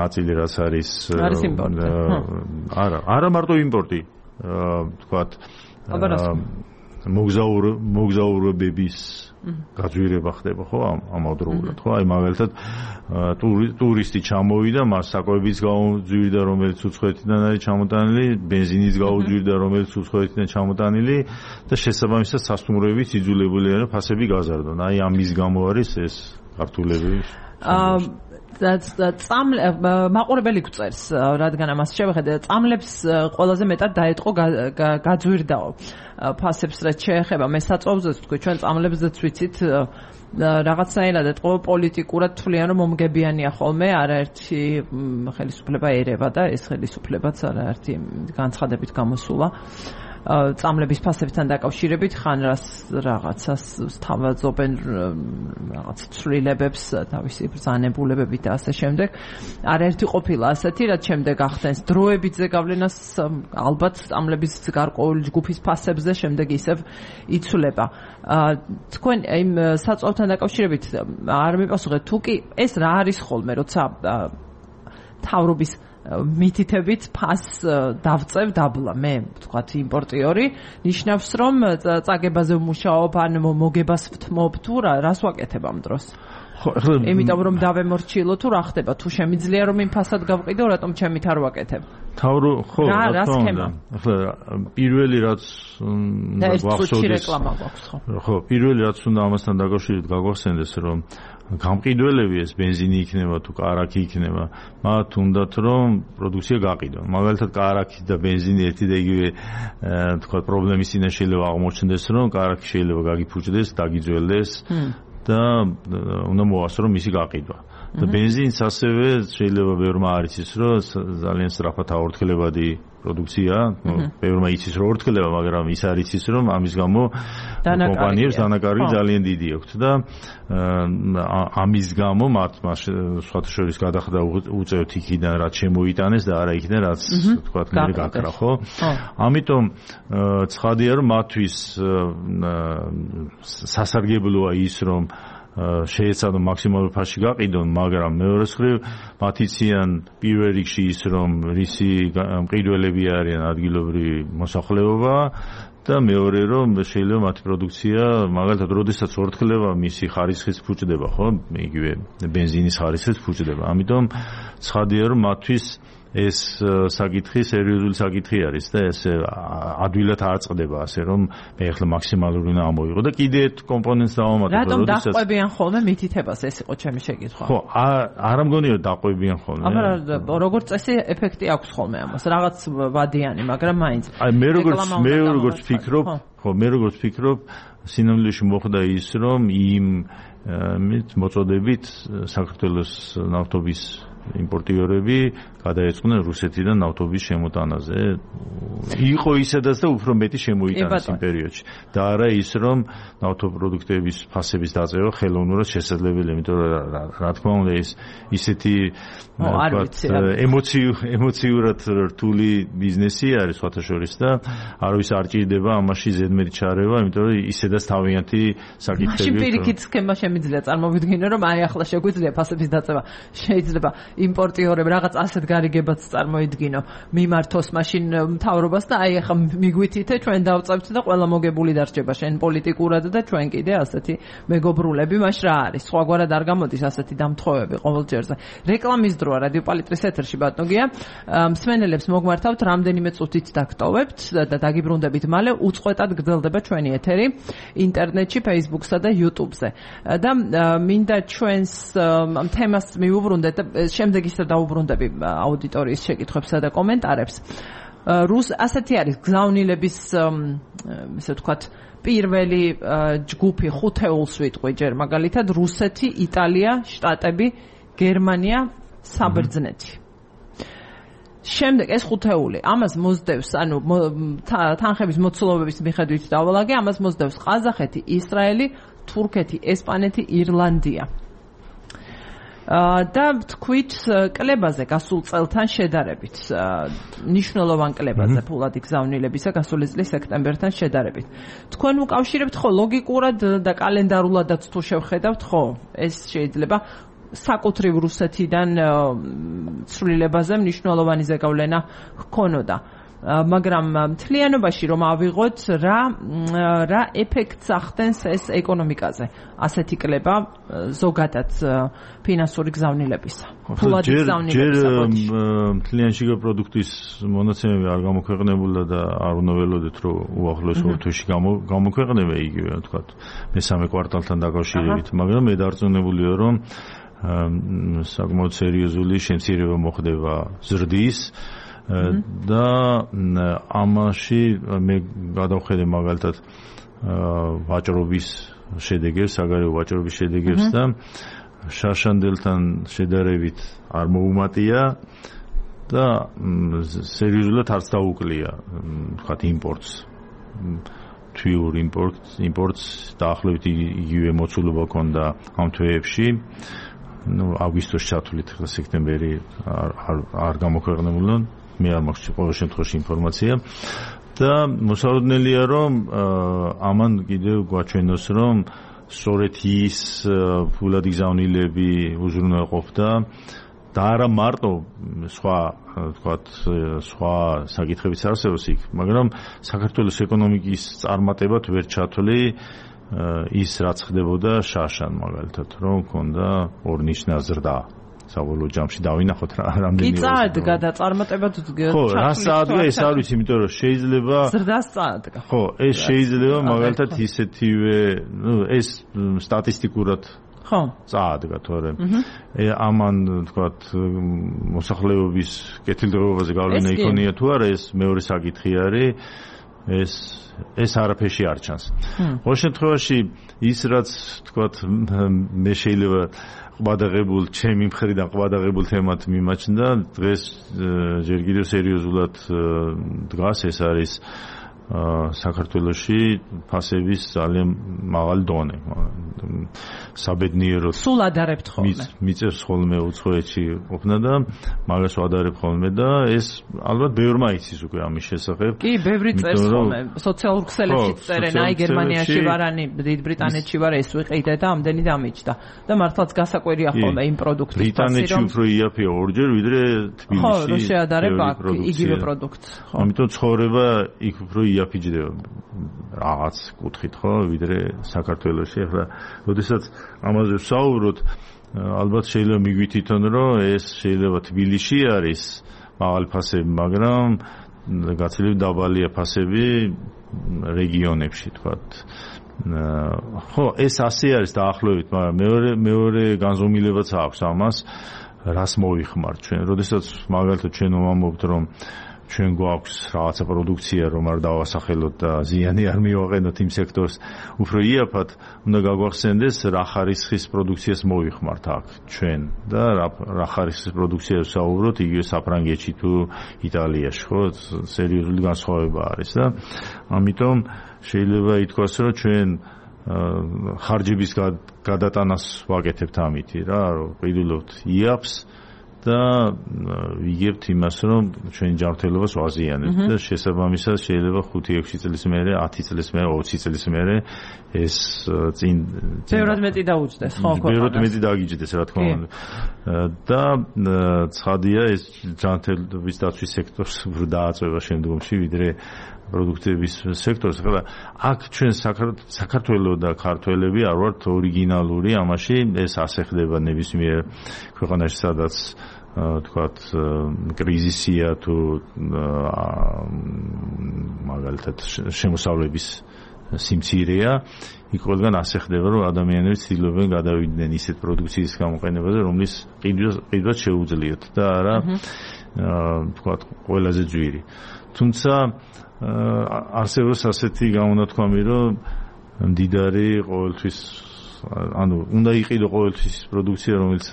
ნაწილი რაც არის იმპორტი. არა მარტო იმპორტი, თქვათ მოგზაურობების გაძვირება ხდება ხო ამავდროულად ხო აი მაგალითად ტურისტი ჩამოვიდა მას საკვებიც გაუძვირდა რომელიც უცხოეთიდან არის ჩამოტანილი ბენზინის გაუძვირდა რომელიც უცხოეთიდან ჩამოტანილი და შესაბამისად სასტუმროებიც იძულებულია რომ ფასები გაზარდონ აი ამის გამო არის ეს ქართულები მაყურებელი გვწერს რადგან ამას შევხედე წამლებს ყველაზე მეტად დაეთყო გაძვირდაო ფასებს რაც შეეხება მე საწვავზეც თქვი ჩვენ წამლებზეც ვიცით რაღაცნაირად ეთყო პოლიტიკურად თვლიან რომ მომგებიანია ხოლმე არაერთი ხელისუფლება ერევა და ეს ხელისუფლებაც არაერთი განცხადებით გამოსულა წამლების ფასებთან დაკავშირებით ხან რაღაცას თავაზობენ რაღაც ცვლილებებს თავისი ბრძანებულებებით და ასე შემდეგ არაერთი ყოფილა ასეთი რაც შემდეგ ახდენს დროებითზე გავლენას ალბათ წამლების გარკვეული ჯგუფის ფასებზე შემდეგ ისევ იცვლება თქვენ იმ საწვავთან დაკავშირებით არ მიპასუხეთ თუ კი ეს რა არის ხოლმე როცა თავრობის მითითებით ფას დავწევ დაბლა მე ვთქვათ იმპორტიორი ნიშნავს რომ წაგებაზე ვმუშაობ ან მოგებას ვთმობ თუ რას ვაკეთებ ამ დროს იმიტომ რომ დავემორჩილო თუ რა ხდება თუ შემიძლია რომ იმ ფასად გავყიდო რატომ ჩემით არ ვაკეთებ თავრო ხო რა თქმა ახლა პირველი რაც გვახსოვდეს ხო პირველი რაც უნდა ამასთან დაკავშირებით გაგვახსენდეს რომ გამყიდველები ეს ბენზინი იქნება თუ კარაქი იქნება მათ უნდათ რომ პროდუქცია გაყიდონ მაგალითად კარაქი და ბენზინი ერთი და იგივე თქვა პრობლემის წინაშე შეიძლება აღმოჩნდეს რომ კარაქი შეიძლება გაგიფუჭდეს დაგიძველდეს და უნდა მოასწრო რომ მისი გაყიდვა და ბენზინს ასევე შეიძლება ბევრმა არ იცის რომ ძალიან სწრაფად აორთქლებადი პროდუქცია ბევრმა იცის რომ ორთქლება მაგრამ ის არ იცის რომ ამის გამო კომპანიებს დანაკარგი ძალიან დიდი აქვს და ამის გამო მათ სხვათა შორის გადახდა უწევთ იქიდან რაც შემოიტანეს და არა იქიდან რაც თქვა მე გაქრა ხო ამიტომ ცხადია რომ მათთვის სასარგებლოა ის რომ შეეცადონ მაქსიმალურ ფასში გაყიდონ, მაგრამ მეორე მხრივ მათ იციან პირველ რიგში ის რომ რისი მყიდველები არიან ადგილობრივი მოსახლეობა და მეორე რომ შეიძლება მათი პროდუქცია მაგალითად როდესაც ორთქლება მისი ხარისხიც ფუჭდება ხო იგივე ბენზინის ხარისხიც ფუჭდება ამიტომ ცხადია რომ მათთვის ეს საკითხი სერიოზული საკითხი არის და ეს ადვილად არ წყდება ასე რომ მე ახლა მაქსიმალური უნდა ამოიღო და კიდე ერთ კომპონენტს დავამატებ რატომ დაყვებიან ხოლმე მითითებას ეს იყო ჩემი შეკითხვა ხო არ მგონია დაყვებიან ხოლმე აბა როგორც წესი ეფექტი აქვს ხოლმე ამას რაღაც ვადიანი მაგრამ მაინც აი მე როგორც ფიქრობ სინამდვილეში მოხდა ის რომ იმ მოწოდებით საქართველოს ნავთობის იმპორტიორები გადაეწყდნენ რუსეთიდან ნავთობის შემოტანაზე. იყო ისედაც და უფრო მეტი შემოიტანეს იმ პერიოდში. და არა ის რომ ნავთობპროდუქტების ფასების დაწევა ხელოვნურად შესაძლებელია, იმიტომ რომ რა თქმა უნდა ის ისეთი ემოციურად რთული ბიზნესი არის სხვათა შორის და არავის არ ჭირდება ამაში ზედმეტი ჩარევა, იმიტომ რომ ისედაც თავიანთი საკითხები. მაშინ პირიქით სქემა შემიძლია წარმოვიდგინო რომ აი ახლა შეგვიძლია ფასების დაწევა შეიძლება იმპორტიორები რაღაც ასეთ გარიგებაც წარმოიდგინო მიმართოს მაშინ მთავრობას და აი ახლა მიგვითითე ჩვენ დავწევთ და ყველა მოგებული დარჩება შენ პოლიტიკურად და ჩვენ კიდე ასეთი მეგობრულები მაშ რა არის სხვაგვარად არ გამოდის ასეთი დამთხოვები ყოველ ჯერზე რეკლამის დროა რადიო პალიტრის ეთერში ბატონგია მსმენელებს მოგმართავთ რამდენიმე წუთით დაგტოვებთ და დაგიბრუნდებით მალე უწყვეტად გრძელდება ჩვენი ეთერი ინტერნეტში Facebook-სა და YouTube-ზე და მინდა ჩვენს თემას მიუბრუნდეთ შემდეგ ისე დაუბრუნდები აუდიტორიის შეკითხვებსა და კომენტარებს. ასეთი არის გზავნილების ესე ვთქვათ პირველი ჯგუფი ხუთეულს ვიტყვი ჯერ მაგალითად რუსეთი, იტალია, შტატები, გერმანია, საბერძნეთი. შემდეგ ეს ხუთეული ამას მოსდევს ანუ თანხების მოცულობების მიხედვით დავალაგე ამას მოსდევს ყაზახეთი, ისრაელი, თურქეთი, ესპანეთი, ირლანდია. და თქვით კლებაზე გასულ წელთან შედარებით ნიშნულოვან კლებაზე ფულადი გზავნილებისა გასული წლის სექტემბერთან შედარებით თქვენ უკავშირებთ ხო ლოგიკურად და კალენდარულადაც თუ შევხედავთ ხო ეს შეიძლება საკუთრივ რუსეთიდან ცვლილებაზე მნიშვნელოვანი ზეგავლენა ჰქონოდა მაგრამ მთლიანობაში რომ ავიღოთ რა ეფექტს ახდენს ეს ეკონომიკაზე ასეთი კლება ზოგადად ფინანსური გზავნილებისა ფულადი გზავნილებისა მთლიანში პროდუქტის მონაცემები არ გამოქვეყნებულა და არ უნდა ველოდეთ რომ უახლოეს ორ თვეში გამოქვეყნება იგივე ვთქვათ მესამე კვარტალთან დაკავშირებით მაგრამ მე დარწმუნებულია რომ საკმაოდ სერიოზული შემცირება მოხდება ზრდის და ამაში მე გადავხედე მაგალითად ვაჭრობის შედეგებს, საგარეო ვაჭრობის შედეგებს და შაშანდელთან შედარებით არ მოუმატია და სერიოზულად არც დაუკლია, ვთქვათ, იმპორტს. თვიურ იმპორტს დაახლოებით იგივე მოცულობა ჰქონდა ამ თვეებში. აგვისტოში ჩათვლით ახლა სექტემბერი არ გამოქვეყნებულა მე არ მაქვს ყოველ შემთხვევაში ინფორმაცია და მოსალოდნელია რომ ამან კიდევ გვაჩვენოს რომ სწორედ ის ფულადი გზავნილები უზრუნველყოფდა და არა მარტო სხვა ვთქვათ სხვა საკითხებიც არსებობს იქ მაგრამ საქართველოს ეკონომიკის წარმატებად ვერ ჩათვლი ის რაც ხდებოდა შაშან მაგალითად რომ მქონდა ორნიშნა ზრდა საბოლოო ჯამში დავინახოთ რა რამდენი კი წაადგა და წარმატებად ხო რა წაადგა ეს არ ვიცი იმიტომ რომ შეიძლება ზრდას წაადგა ხო ეს შეიძლება მაგალითად ისეთივე ეს სტატისტიკურად ხო წაადგა თორემ ამან თქვათ მოსახლეობის კეთილდღეობაზე გავლენა იქონია თუ არა ეს მეორე საკითხი არის ეს არაფერში არ ჩანს. ყოველ შემთხვევაში ის რაც თქვათ მე შეიძლება ყვადაღებულ ჩემი მხრიდან ყვადაღებულ თემად მიმაჩნდა დღეს ჯერ კიდევ სერიოზულად დგას ეს არის საქართველოში ფასების ძალიან მაღალი დონე. საბედნიეროდ სულ ადარებთ ხოლმე. მიწევს ხოლმე უცხოეთში ყოფნა და მაგას ვადარებ ხოლმე და ეს ალბათ ბევრმა იცის უკვე ამის შესახებ. კი, ბევრი წერს ხოლმე. სოციალურ ქსელებშიც წერენ, აი გერმანიაში ვარანი, დიდ ბრიტანეთში ვარ, ეს ვიყიდე და ამდენი დამიჯდა. და მართლაც გასაკვირია ხოლმე იმ პროდუქტის ფასი რომ ბრიტანეთში უფრო იაფია ორჯერ ვიდრე თბილისში. ხო, რო შეადარებ აქ იგივე პროდუქტს. ხო. ამიტომ ცხოვრება იქ უფრო იაფიჯდება რაღაც კუთხით ხო ვიდრე საქართველოში ახლა როდესაც ამაზე ვსაუბრობთ ალბათ შეიძლება მიგვითითონ რომ ეს შეიძლება თბილისში არის მაღალი ფასები, მაგრამ გაცილებით დაბალია ფასები რეგიონებში, თქვათ. ხო, ეს ასე არის დაახლოებით, მაგრამ მეორე განზომილებაც აქვს ამას, რას მოვიხმართ ჩვენ. როდესაც მაგალითად ჩვენ ვამბობთ, რომ ჩვენ გვაქვს რაღაცა პროდუქცია, რომ არ დავასახელოთ და ზიანი არ მივაყენოთ იმ სექტორს, უფრო იაფად უნდა გაგვახსენდეს, რა ხარისხის პროდუქციას მოვიხმართ აქ ჩვენ და რა ხარისხის პროდუქციას ვსაუბრობთ იგივე საფრანგეთში თუ იტალიაში, ხო? სერიოზული განსხვავება არის და ამიტომ შეიძლება ითქვას, რომ ჩვენ ხარჯების გადატანას ვაკეთებთ ამითი რა, რომ ყიდულობთ იაფს და ვიგებთ იმას, რომ ჩვენი ჯანმრთელობას ვაზიანებთ და შესაბამისად შეიძლება 5-6 წლის მერე, 10 წლის მერე, 20 წლის მერე ეს წინ ბევრად მეტი დაუჯდეს, ხო? ბევრად მეტი დაგიჯდეს, რა თქმა უნდა. და ცხადია ეს ჯანმრთელობის დაცვის სექტორს უფრო დააწვევა შემდგომში, ვიდრე პროდუქტების სექტორს, ხლა აქ ჩვენ საქართველოს და ქართველები არ ვართ ორიგინალური ამაში, ეს ასე ხდება ნებისმიერ ქვეყანაში, სადაც თქვათ კრიზისია თუ მაგალითად შემოსავლების სიმცირეა, იქ ყველგან ასე ხდება, რომ ადამიანები ცდილობენ გადავიდნენ ისეთ პროდუქციის გამოყენებაზე, რომლის ყიდვაც შეუძლიათ და არა თქვათ ყველაზე ძვირი. თუმცა არსებობს ასეთი გამონათქვამი, რომ მდიდარი ყოველთვის ანუ უნდა იყიდო ყოველთვის პროდუქცია, რომელიც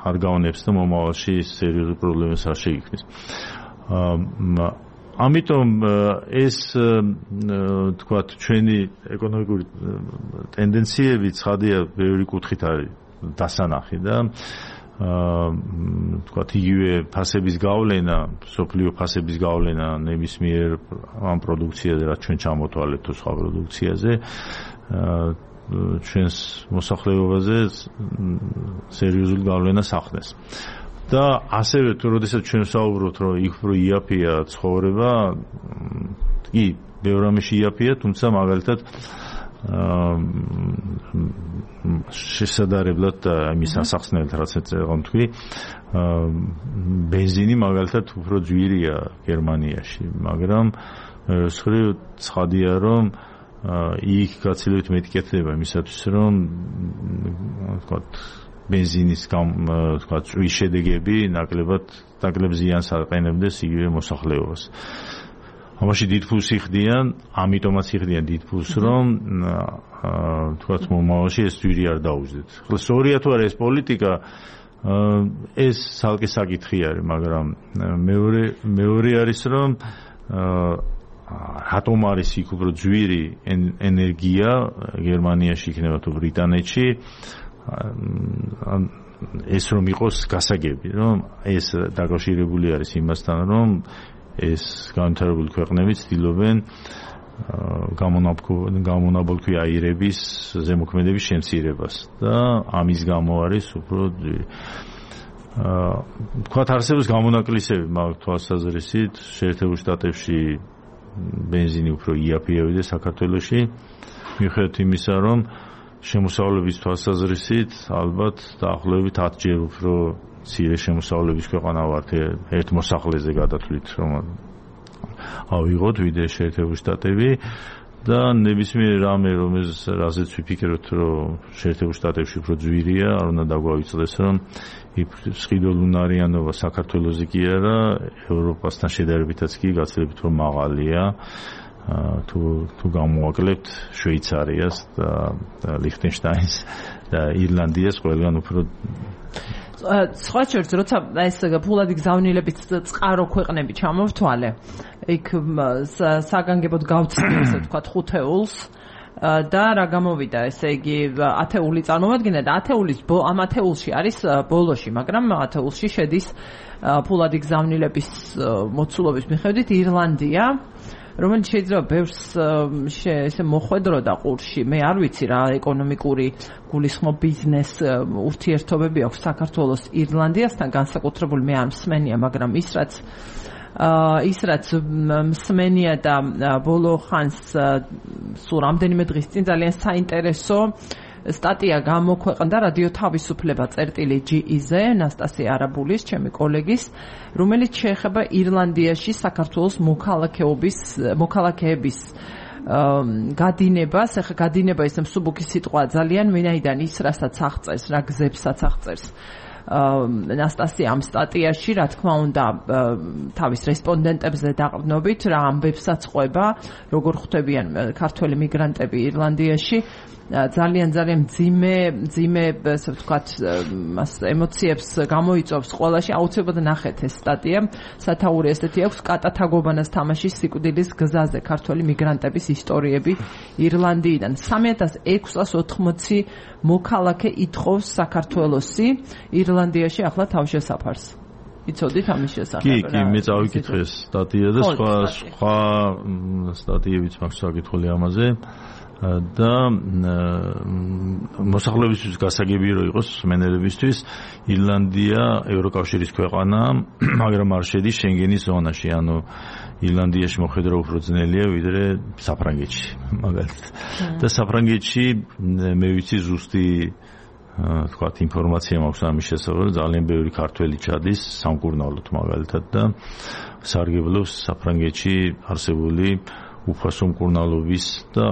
არ გავნებს და მომავალში სერიოზულ პრობლემას არ შეიქმნის. ამიტომ ეს თქვათ ჩვენი ეკონომიკური ტენდენციები ცხადია ბევრი კუთხით არის დასანახი და თქვათ იგივე ფასების გავლენა, სოფლიო ფასების გავლენა ნებისმიერ ამ პროდუქციაზე, რაც ჩვენ ჩამოთვალეთ თუ სხვა პროდუქციაზე, ჩვენს მოსახლეობაზე სერიოზული გავლენას ახდენს. და ასევე თუ როდესაც ჩვენ ვსაუბრობთ, რომ იქ უფრო იაფია ცხოვრება, კი, ბევრ რამეში იაფია, თუმცა მაგალითად შესაძლებლად იმის ასახსნელად რაც ეწევა თქვი, ბენზინი მაგალითად უფრო ძვირია გერმანიაში, მაგრამ სხვაი ცხადია, რომ იქ გაცილებით მეტი კეთდება იმისათვის, რომ ვთქვათ ბენზინის ვთქვათ წვის შედეგები ნაკლებ ზიანს აყენებდეს იგივე მოსახლეობას. ამაში დიდ ფულს იხდიან, ამიტომაც იხდიან დიდ ფულს, რომ თქვათ მომავალში ეს ძვირი არ დაუჯდეთ. ხოლო სწორია თუ არა ეს პოლიტიკა, ეს ცალკე საკითხი არის, მაგრამ მეორე არის, რომ რატომ არის იქ უფრო ძვირი ენერგია გერმანიაში იქნება თუ ბრიტანეთში, ეს რომ იყოს გასაგები, რომ ეს დაკავშირებული არის იმასთან, რომ ეს განვითარებული ქვეყნები ცდილობენ გამონაბოლქვი აირების ზემოქმედების შემცირებას და ამის გამო არის უფრო ძვირი. თქვათ არსებობს გამონაკლისები მაგ თვალსაზრისით, შეერთებულ შტატებში ბენზინი უფრო იაფია ვიდრე საქართველოში, მიუხედავად იმისა, რომ შემოსავლების თვალსაზრისით ალბათ დაახლოებით 10 ჯერ უფრო მცირე შემოსავლების ქვეყანა ვართ ერთ მოსახლეზე გადათვლით, რომ ავიღოთ ვიდრე შეერთებული შტატები და ნებისმიერ რამე, რაზეც ვიფიქრებთ, რომ შეერთებულ შტატებში უფრო ძვირია, არ უნდა დაგვავიწყდეს, რომ სყიდულუნარიანობა საქართველოზე კი არა, ევროპასთან შედარებითაც კი გაცილებით უფრო მაღალია. თუ გამოვაკლებთ შვეიცარიას და ლიხტენშტაინს და ირლანდიას ყველგან უფრო სხვა შორის როცა ეს ფულადი გზავნილების წყარო ქვეყნები ჩამოვთვალე, იქ საგანგებოდ გავცდი ესე ვთქვათ 5 ეულს და რა გამოვიდა, ესე იგი 10 ეული წარმოვადგინა და 10 ეულის ამ 10 ეულში არის ბოლოში, მაგრამ 10 ეულში შედის ფულადი გზავნილების მოცულობის მიხედვით ირლანდია, რომელიც შეიძლება ბევრს ესე მოხვედროდა ყურში. მე არ ვიცი რა ეკონომიკური გულისხმობ ბიზნეს ურთიერთობები აქვს საქართველოს ირლანდიასთან განსაკუთრებული, მე არ მსმენია, მაგრამ ის რაც მსმენია და ბოლო ხანს სულ რამდენიმე დღის წინ ძალიან საინტერესო სტატია გამოქვეყნდა რადიო თავისუფლება წერტილი.ge-ზე ნასტასია არაბულის, ჩემი კოლეგის, რომელიც შეეხება ირლანდიაში საქართველოს მოქალაქეების გადინებას. ეხლა გადინება ისე მსუბუქი სიტყვა ძალიან, ვინაიდან ის რასაც აღწერს, რა გზებსაც აღწერს ნასტასია ამ სტატიაში, რა თქმა უნდა, თავის რესპონდენტებზე დაყრდნობით, რა ამბებსაც ყვება, როგორ ხვდებიან ქართველი მიგრანტები ირლანდიაში. ძალიან მძიმე, ასე ვთქვათ, ემოციებს გამოიწვევს ყველაში. აუცილებლად ნახეთ ეს სტატია. სათაური ესეთი აქვს კატათაგობანას თამაშის სიკვდილის გზაზე ქართველი მიგრანტების ისტორიები ირლანდიიდან. 3680 მოქალაქე ითხოვს საქართველოსი ირლანდიაში ახლა თავშესაფარს. იცოდით ამის შესახებ? კი, მე წავიკითხე ეს სტატია და სხვა სტატიებიც მაქვს საკითხული ამაზე. და მოსახლეობისთვის გასაგები რო იყოს მენელებისთვის ირლანდია ევროკავშირის ქვეყანაა, მაგრამ არ შედის შენგენის ზონაში, ანუ ირლანდიაში მოხვედრა უფრო ძნელია ვიდრე საფრანგეთში, მაგალითად. და საფრანგეთში მე ვიცი ზუსტი თქვათ ინფორმაცია მაქვს ამის შესახებ, ძალიან ბევრი ქართველი ჩადის სამკურნალოდ მაგალითად და სარგებლობს საფრანგეთში არსებული უფასო მკურნალობის და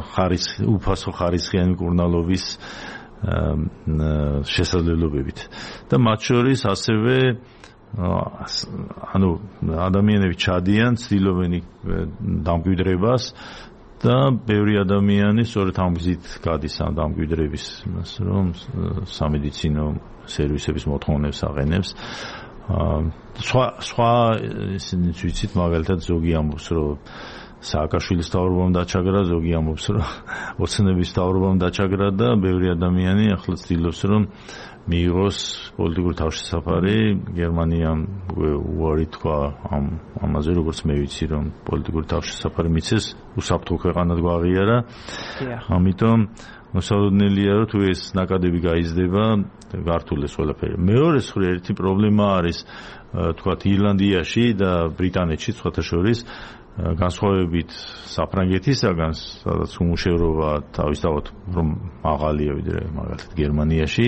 უფასო ხარისხიანი მკურნალობის შესაძლებლობებით. და მათ შორის ასევე ანუ ადამიანები ჩადიან, ცდილობენ დამკვიდრებას და ბევრი ადამიანი სწორედ ამ გზით გადის ამ დამკვიდრების, რომ სამედიცინო სერვისების მოთხოვნებს აყენებს. სხვა ისინი ვიცით, მაგალითად ზოგი ამბობს, რომ სააკაშვილის თავრობამ დაჩაგრა, ზოგი ამბობს, რომ ოცნების თავრობამ დაჩაგრა და ბევრი ადამიანი ახლა ცდილობს, რომ მიიღოს პოლიტიკური თავშესაფარი. გერმანიამ უარი თქვა ამაზე, როგორც მე ვიცი, რომ პოლიტიკური თავშესაფარი მიცეს, უსაფრთხო ქვეყანად გვაღიარა. ამიტომ მოსალოდნელია, რომ თუ ეს ნაკადები გაიზრდება, გართულეს ყველაფერი. მეორე მხრივ ერთი პრობლემა არის, თქვათ, ირლანდიაში და ბრიტანეთში სხვათა შორის განსხვავებით საფრანგეთისაგან, სადაც უმუშევრობა თავისთავად რომ მაღალია ვიდრე მაგალითად გერმანიაში,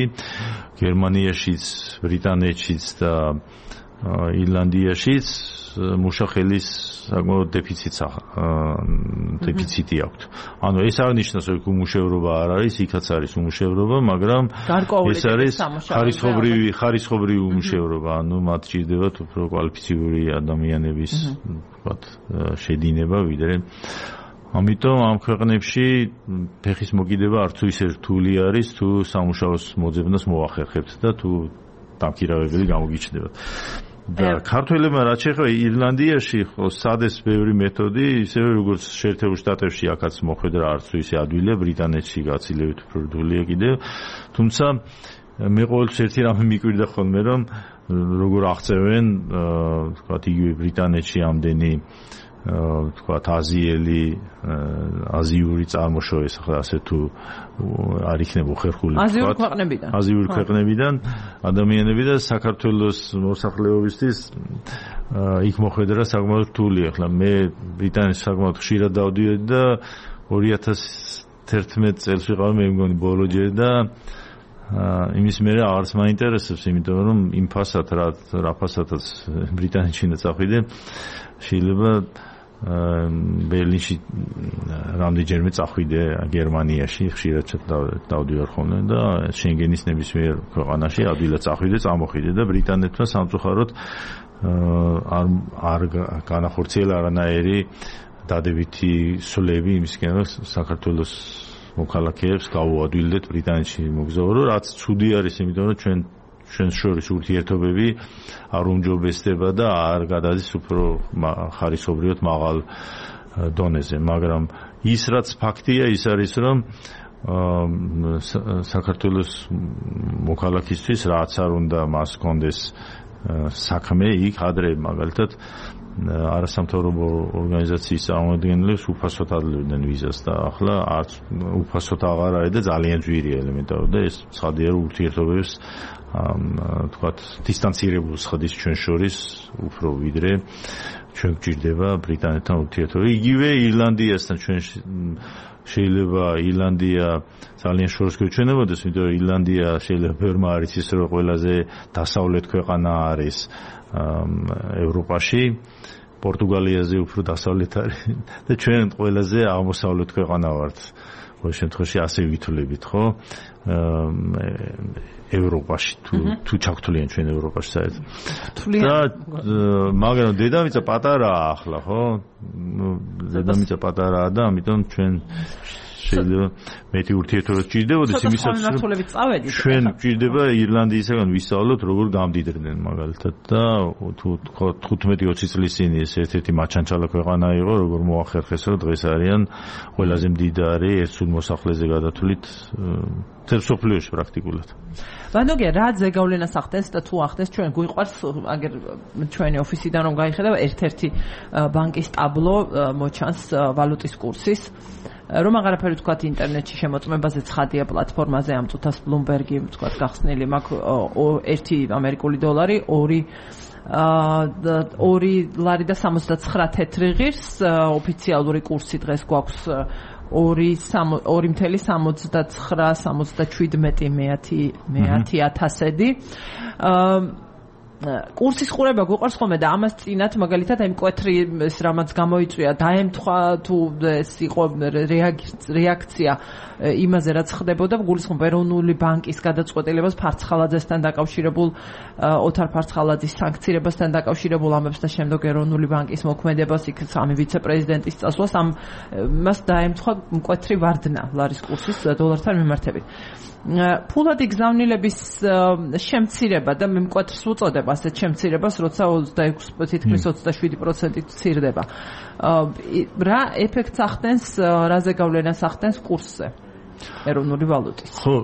გერმანიაშიც, ბრიტანეთშიც და ირლანდიაშიც მუშახელის საკმაოდ დეფიციტი აქვს. ანუ ეს არ ნიშნავს, რომ უმუშევრობა არ არის, იქაც არის უმუშევრობა, მაგრამ ეს არის ხარისხობრივი უმუშევრობა, ანუ მათ ჭირდებათ უფრო კვალიფიციური ადამიანების ვთქვათ შედინება ვიდრე. ამიტომ ამ ქვეყნებში ფეხის მოკიდება არც ისე რთული არის, თუ სამუშაოს მოძებნას მოახერხებთ და თუ დამქირავებელი გამოგიჩნდებათ. და ქართველებმა რაც შეეხება ირლანდიაში სადეს ბევრი მეთოდი, ისევე როგორც შეერთებულ შტატებში აქაც მოხვედრა არც ისე ადვილია, ბრიტანეთში გაცილებით უფრო რთულია კიდევ. თუმცა მე ყოველთვის ერთი რამე მიკვირდა ხოლმე, რომ როგორ აღწევენ თქვათ იგივე ბრიტანეთში ამდენი თქვათ აზიური წარმოშობის, ახლა ასე თუ არ იქნება უხერხული თქვათ აზიური ქვეყნებიდან ადამიანები და საქართველოს მოსახლეობისთვის იქ მოხვედრა საკმაოდ რთულია. ახლა მე ბრიტანეთში საკმაოდ ხშირად დავდიოდი და 2011 წელს ვიყავი მე მგონი ბოლო ჯერ და იმის მერე აღარც მაინტერესებს, იმიტომ რომ იმ ფასად რა ფასადაც ბრიტანეთში უნდა წავიდე, შეიძლება ბერლინში რამდენჯერმე წავიდე გერმანიაში, ხშირად დავდივარ ხოლმე და შენგენის ნებისმიერ ქვეყანაში ადვილად წავიდე, წამოხვიდე და ბრიტანეთმა სამწუხაროდ არ განახორციელა არანაირი დადებითი სვლები იმისკენ, რომ საქართველოს მოქალაქეებს გაუადვილდეთ ბრიტანეთში მოგზაურო, რაც ცუდი არის, იმიტომ რომ ჩვენ შორის ურთიერთობები არ უმჯობესდება და არ გადადის უფრო ხარისხობრივად მაღალ დონეზე, მაგრამ ის რაც ფაქტია, ის არის, რომ საქართველოს მოქალაქისთვის რაც არ უნდა მას კონდეს საქმე იქ ადრე მაგალითად არასამთავრობო ორგანიზაციის წარმომადგენლებს უფასოდ ადლებდნენ ვიზას და ახლა არც უფასოდ აღარ არის და ძალიან ძვირია ელემენტარულად და ეს ცხადია რომ ურთიერთობებს თქვათ დისტანცირებულ ხდის ჩვენ შორის უფრო ვიდრე ჩვენ გვჭირდება ბრიტანეთთან ურთიერთობა. იგივე ირლანდიასთან ჩვენ შეიძლება ირლანდია ძალიან შორს გვეჩვენებოდეს, იმიტომ რომ ირლანდია შეიძლება ბევრმა არ იცის, რომ ყველაზე დასავლეთ ქვეყანა არის ევროპაში. პორტუგალიაზე უფრო დასავლეთ არის და ჩვენ ყველაზე აღმოსავლეთ ქვეყანა ვართ. ყოველ შემთხვევაში ასე ვითვლებით, ხო? ევროპაში თუ ჩაგთვლიან ჩვენ ევროპაში საერთოდ. და მაგრამ დედამიწა პატარაა ახლა, ხო? დედამიწა პატარაა და ამიტომ ჩვენ შეიძლება მეტი ურთიერთობა სჭირდებოდეს იმისაც რომ ჩვენ გვჭირდება ირლანდიისგან ვისწავლოთ როგორ გამდიდრდნენ მაგალითად და თუ 15-20 წლის წინ ეს ერთ-ერთი მაჩანჩალა ქვეყანა იყო როგორ მოახერხეს რომ დღეს არიან ყველაზე მდიდარი ერთსულ მოსახლეზე გადათვლით თებს სოფლიოში პრაქტიკულად. ვანდოგია რა ზეგავლენას ახდენს და თუ ახდენს ჩვენ გვიყვარს აგერ ჩვენი ოფისიდან რომ გაიხედა ერთ-ერთი ბანკის ტაბლო მოჩანს ვალუტის კურსის რომ აღარაფერი თქვათ ინტერნეტში შემოწმებაზე ცხადია პლატფორმაზე ამ წუთას Bloomberg-ი თქვათ გახსნილი მაქვს 1 ამერიკული დოლარი 2 ლარი და 79 თეთრი ღირს ოფიციალური კურსი დღეს გვაქვს 2.79-77 კურსის ყურება გვიყვარს ხოლმე და ამას წინათ მაგალითად აი მკვეთრი ეს რამაც გამოიწვია დაემთხვა თუ ეს იყო რეაქცია იმაზე რაც ხდებოდა გულისხმობ ეროვნული ბანკის გადაწყვეტილებას ფარცხალაძესთან დაკავშირებულ ოთარ ფარცხალაძის სანქცირებასთან დაკავშირებულ ამებს და შემდეგ ეროვნული ბანკის მოქმედებას იქ სამი ვიცე-პრეზიდენტის წასვლას ამას დაემთხვა მკვეთრი ვარდნა ლარის კურსის დოლართან მიმართებით. ფულადი გზავნილების შემცირება და მე მკვეთრს უწოდებ ასეთ შემცირებას, როცა 26 თითქმის 27% ცირდება. რა ეფექტს ახდენს, რა ზეგავლენას ახდენს კურსზე? ეროვნული ვალუტის. ხო,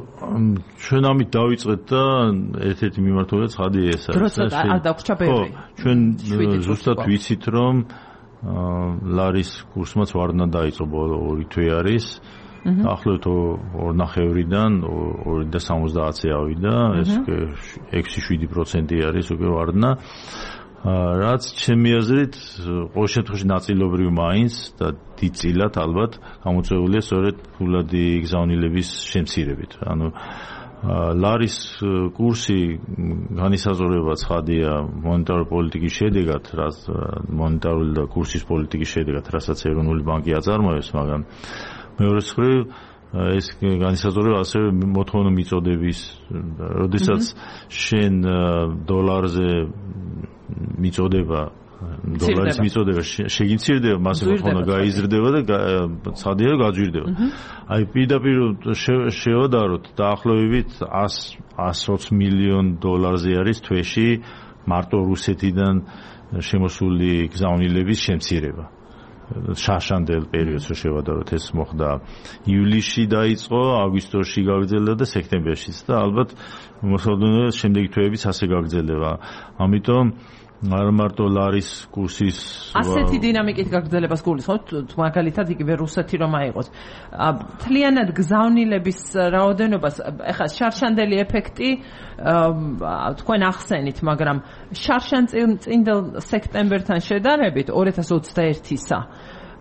ჩვენ ამით დავიწყეთ და ერთ-ერთი მიმართულება ცხადია ეს არის. როცა არ დაგვრჩა ბევრი. ჩვენ ზუსტად ვიცით რომ ლარის კურსმაც ვარდნა დაიწყო ბოლო 2 თვე არის. ახლოთ 2.5-დან 2.70-ზე ავიდა, ეს 6-7% არის უკვე ვარდნა. რაც ჩემი აზრით ყოველ შემთხვევაში ნაწილობრივ მაინც და დიდწილად ალბათ გამოწვეულია სწორედ ფულადი გზავნილების შემცირებით. ანუ ლარის კურსი განისაზღვრება ცხადია მონეტარული პოლიტიკის შედეგად, რაც მონეტარული და კურსის პოლიტიკის შედეგად, რასაც ეროვნული ბანკი აწარმოებს, მაგრამ მეორე მხრივ ეს განისაზღვრება ასევე მოთხოვნა მიწოდების, როდესაც შენ დოლარზე მიწოდება დოლარის მიწოდება შეგიცირდება, მას მოთხოვნა გაიზრდება და ცხადია რომ გაძვირდება. აი პირდაპირ შევადაროთ დაახლოებით 120 მილიონ დოლარზე არის თვეში მარტო რუსეთიდან შემოსული გზავნილების შემცირება. შარშანდელ პერიოდს რო შევადაროთ ეს მოხდა ივლისში დაიწყო, აგვისტოში გაგრძელდა და სექტემბერშიც და ალბათ მოსალოდნელად შემდეგი თვეებიც ასე გაგრძელდება. ამიტომ არ მარტო ლარის კურსის ასეთი დინამიკით გაგრძელებას გულისხმობთ, მაგალითად იგივე რუსეთი რომ აიყოს. თლიანად გზავნილების რაოდენობას ეხლა შარშანდელი ეფექტი თქვენ ახსენით, მაგრამ შარშანწინდელ სექტემბერთან შედარებით 2021-ისა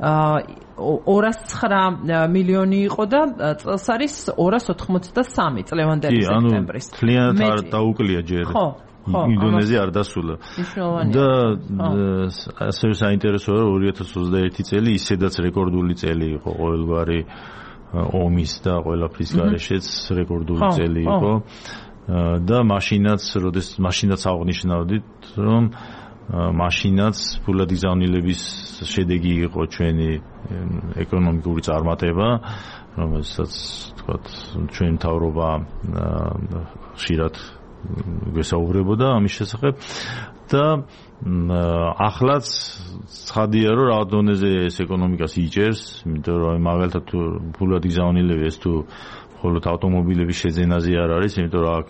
209 მილიონი იყო და წელს არის 283 წლევანდელი სექტემბრის. თლიანად არ დაუკლია ჯერ. ინდონეზია არ დასულა. და ასევე საინტერესოა რომ 2021 წელი ისედაც რეკორდული წელი იყო ყოველგვარი ომის და ყველაფრის გარეშეც რეკორდული წელი იყო. და მაშინაც აღნიშნავდით რომ მაშინაც ფულადი გზავნილების შედეგი იყო ჩვენი ეკონომიკური წარმატება, რომელსაც თქვათ ჩვენი მთავრობა ხშირად გვესაუბრებოდა ამის შესახებ და ახლაც ცხადია რომ რა დონეზე ეს ეკონომიკას იჭერს, იმიტომ რომ მაგალითად თუ ფულადი გზავნილები ეს თუ მხოლოდ ავტომობილების შეძენაზე არ არის, იმიტომ რომ აქ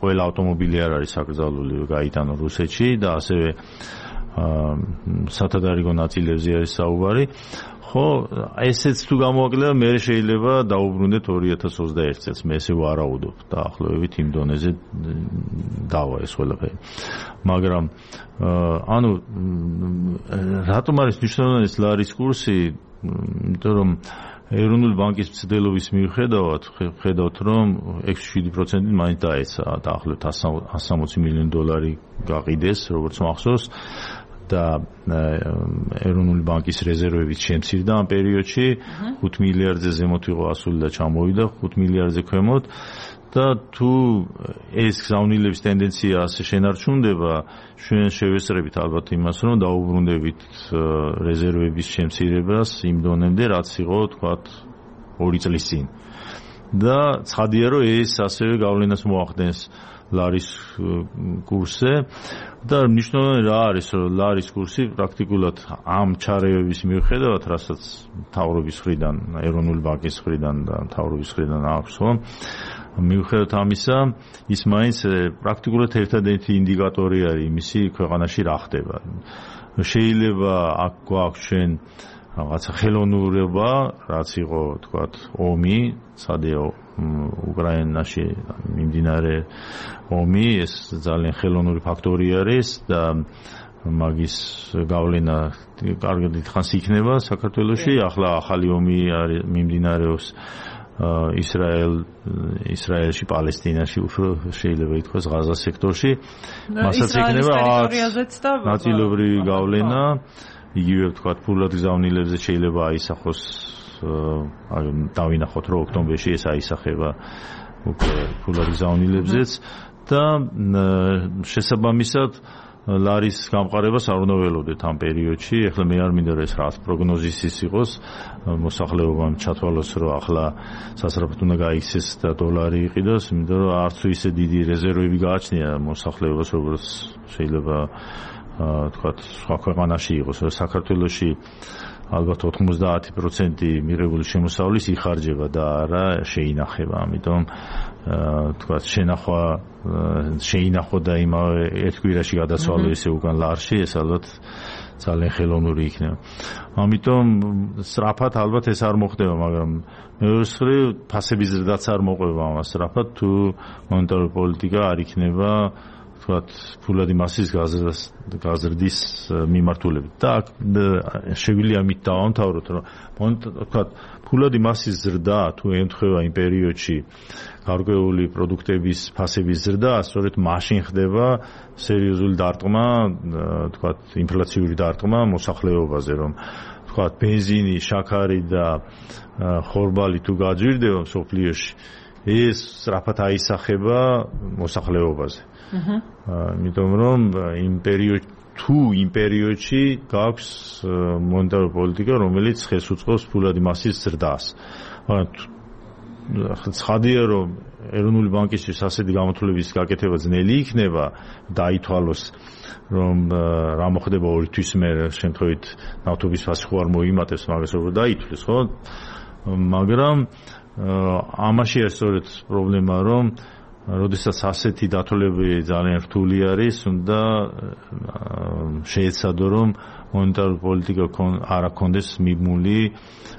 ყველა ავტომობილი არ არის საკრძალული გაიტანო რუსეთში და ასევე სათადარიგო ნაწილებზე არის საუბარი. ხო, ესეც თუ გამოაკლება, მე შეიძლება დაუბრუნდეთ 2021 წელს, მე ესე ვარაუდობ დაახლოებით იმ დონეზე დავა ეს ყველაფერი. მაგრამ ანუ რატომ არის მნიშვნელოვანი ლარის კურსი? იმიტომ რომ ეროვნული ბანკის მცდელობის მიუხედავად ხედავთ რომ 6-7% მაინც დაეცა დაახლოებით 160 მილიონი დოლარი გაყიდეს როგორც მახსოვს და ეროვნული ბანკის რეზერვებიც შემცირდა ამ პერიოდში 5 მილიარდზე ზემოთ იყო ასული და ჩამოვიდა 5 მილიარდზე ქვემოთ და თუ ეს გზავნილების ტენდენცია ასე შენარჩუნდება ჩვენ შევესწრებით ალბათ იმას რომ დაუბრუნდებით რეზერვების შემცირებას იმ დონემდე რაც იყო თქვათ 2 წლის წინ და ცხადია რომ ეს ასევე გავლენას მოახდენს ლარის კურსზე და მნიშვნელოვანი რა არის რომ ლარის კურსი პრაქტიკულად ამ ჩარევების მიუხედავად რასაც მთავრობის მხრიდან ეროვნული ბანკის მხრიდან და მთავრობის მხრიდან აქვს ხო მიუხედავად ამისა ის მაინც პრაქტიკულად ერთადერთი ინდიკატორი არის იმისი ქვეყანაში რა ხდება შეიძლება აქ გვაქვს ჩვენ რაღაცა ხელოვნურობა რაც იყო თქვათ ომი სადეო უკრაინაში მიმდინარე ომი ეს ძალიან ხელოვნური ფაქტორი არის და მაგის გავლენა კარგად ითხანს იქნება საქართველოში ახლა ახალი ომი არის მიმდინარეობს ისრაელში პალესტინაში უფრო შეიძლება ითქვას ღაზა სექტორში მასაც იქნება ნაწილობრივი გავლენა იგივე ვთქვათ ფულად გზავნილებზე შეიძლება აისახოს დავინახოთ რომ ოქტომბერში ეს აისახება უკვე ფულად გზავნილებზეც და შესაბამისად ლარის გამყარებას არ უნდა ველოდეთ ამ პერიოდში. ეხლა მე არ მინდა რომ ეს რაც პროგნოზის იყოს მოსახლეობამ ჩათვალოს რომ ახლა სასწრაფოდ უნდა გაიქცეს და დოლარი იყიდოს, იმიტომ რომ არც ისე დიდი რეზერვები გააჩნია მოსახლეობას როგორც შეიძლება თქვათ სხვა ქვეყანაში იყოს. საქართველოში ალბათ 90% მიღებული შემოსავლის იხარჯება და არა შეინახება. ამიტომ თქვათ შეინახო და იმავე ერთ კვირაში გადასვალო ესე უკან ლარში, ეს ალბათ ძალიან ხელოვნური იქნება. ამიტომ სწრაფად ალბათ ეს არ მოხდება, მაგრამ მეორე მხრივ ფასების ზრდაც არ მოყვება ამას სწრაფად თუ მონეტარული პოლიტიკა არ იქნება თქვათ ფულადი მასის გაზრდის მიმართულებით და შეგვიძლია ამით დავამთავროთ რომ თქვათ ფულადი მასის ზრდა თუ ემთხვევა იმ პერიოდში გარკვეული პროდუქტების ფასების ზრდა სწორედ მაშინ ხდება სერიოზული დარტყმა თქვათ ინფლაციური დარტყმა მოსახლეობაზე რომ თქვათ ბენზინი, შაქარი და ხორბალი თუ გაძვირდება მსოფლიოში ეს სწრაფად აისახება მოსახლეობაზე იმიტომ რომ იმ პერიოდში გაქვს მონეტარული პოლიტიკა რომელიც ხელს უწყობს ფულადი მასის ზრდას. ცხადია რომ ეროვნული ბანკისთვის ასეთი გამოთვლების გაკეთება ძნელი იქნება დაითვალოს რომ რა მოხდება 2 თვის მერე შემთხვევით ნავთობის ფასი ხო არ მოიმატებს მაგას როგორ დაითვლის ხო მაგრამ ამაში არის სწორედ პრობლემა რომ როდესაც ასეთი დათვალები ძალიან რთული არის, უნდა შეეცადო რომ მონეტარული პოლიტიკა არ აქონდეს მიბმული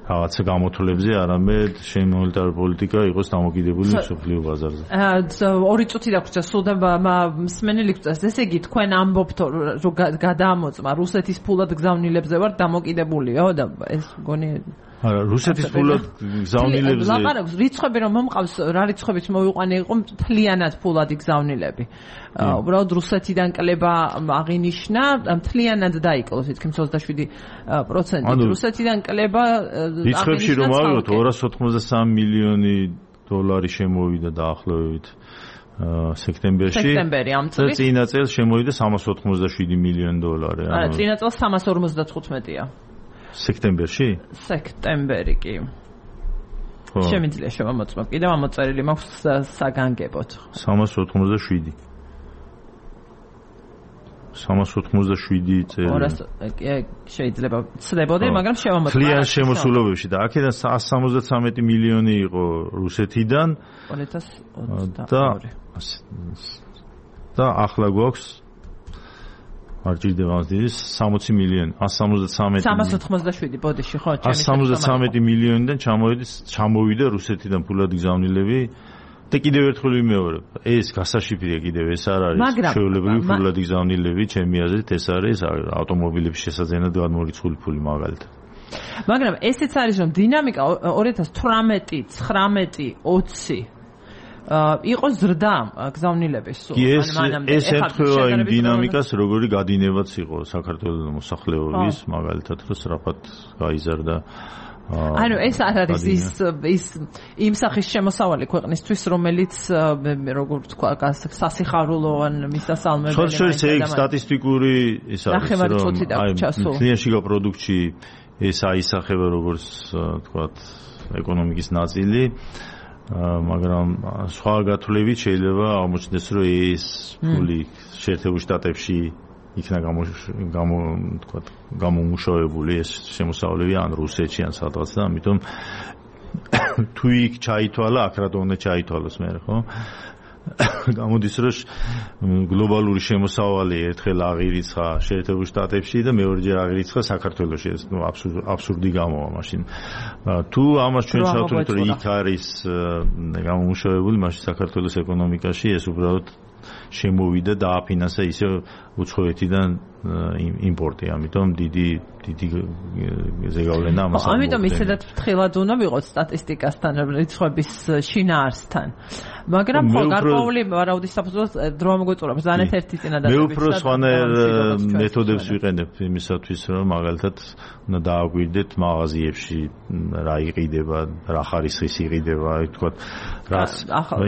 რაღაცა გამოთვლებზე, არამედ მონეტარული პოლიტიკა იყოს დამოკიდებული მსოფლიო ბაზარზე. 2 წუთი დაგვრჩა, სულ და მსმენელი გვწევს. ესე იგი, თქვენ ამბობთ რომ გადაამოწმა რუსეთის ფულად გზავნილებზე ვარ დამოკიდებულიო და ეს მგონი არა, რუსეთის ფულად გზავნილებზე ლაპარაკობს რიცხვები რომ მომყავს, რა რიცხვებით მოვიყვანე იყო მთლიანად ფულადი გზავნილები. უბრალოდ რუსეთიდან კლება აღინიშნა, მთლიანად დაიკლო თითქმის 27%. რუსეთიდან კლება რიცხვებში რომ ავიღოთ 283 მილიონი დოლარი შემოვიდა დაახლოებით სექტემბერში. ამ წელს წინა წელს შემოვიდა 387 მილიონი დოლარი. არა, წინა წელს 355-ია. სექტემბერში? სექტემბერი კი. შემიძლია შევამოწმო. კიდევ ამოწერილი მაქვს საგანგებოდ. 387. 387 წელი. შეიძლება ცდებოდე, მაგრამ შევამოწმო. ძალიან შემოსულობებში და აქედან 173 მილიონი იყო რუსეთიდან 2022. და ახლა გვაქვს არ ჭირდება ამას დიდი 60 მილიონი 387 ბოდიში ხო 173 მილიონიდან ჩამოვიდა რუსეთიდან ფულადი გზავნილები და კიდევ ერთხელ ვიმეორებ ეს გასაშიფრია კიდევ ეს არ არის ჩვეულებრივი ფულადი გზავნილები ჩემი აზრით ეს არის ავტომობილების შესაძენად გადმორიცხული ფული მაგალითად მაგრამ ესეც არის რომ დინამიკა 2018 19 20 იყო ზრდა გზავნილების სულ ეს ეთქვევა იმ დინამიკას როგორი გადინებაც იყო საქართველოს მოსახლეობის მაგალითად რომ სწრაფად გაიზარდა ანუ ეს არ არის ის იმ სახის შემოსავალი ქვეყნისთვის რომელიც როგორ ვთქვა სასიხარულო ან მისასალმებელი ხალხის ეგ სტატისტიკური ის არის რომ ნიაშიგა პროდუქტში ეს აისახება როგორც ვთქვათ ეკონომიკის ნაწილი მაგრამ სხვა გათვლებით შეიძლება აღმოჩნდეს რომ ეს ფული შეერთებულ შტატებში იქნა გამომუშავებული ეს შემოსავლები ან რუსეთში ან სადღაც და ამიტომ თუ იქ ჩაითვალა აქ რა უნდა ჩაითვალოს მე ხო გამოდის რომ გლობალური შემოსავალი ერთხელ აღირიცხა შეერთებულ შტატებში და მეორეჯერ აღირიცხა საქართველოში ეს აბსურდი გამოვა მაშინ თუ ამას ჩვენ შევთვლით რომ იქ არის გამომუშავებული მაშინ საქართველოს ეკონომიკაში ეს უბრალოდ შემოვიდა და აფინანსა ისე უცხოეთიდან იმპორტი ამიტომ დიდი ზეგავლენა ამას ამიტომ ისედაც ფრთხილად უნდა ვიყოთ სტატისტიკასთან რიცხვების შინაარსთან მაგრამ ხო გარკვეული ვარაუდის საფუძველს დრო მოგვეწურა ბრძანეთ ერთი წინადადებით მე უფრო სხვანაირ მეთოდებს ვიყენებ იმისათვის რომ მაგალითად უნდა დააგვირდეთ მაღაზიებში რა იყიდება რა ხარისხის იყიდება თქვა რაც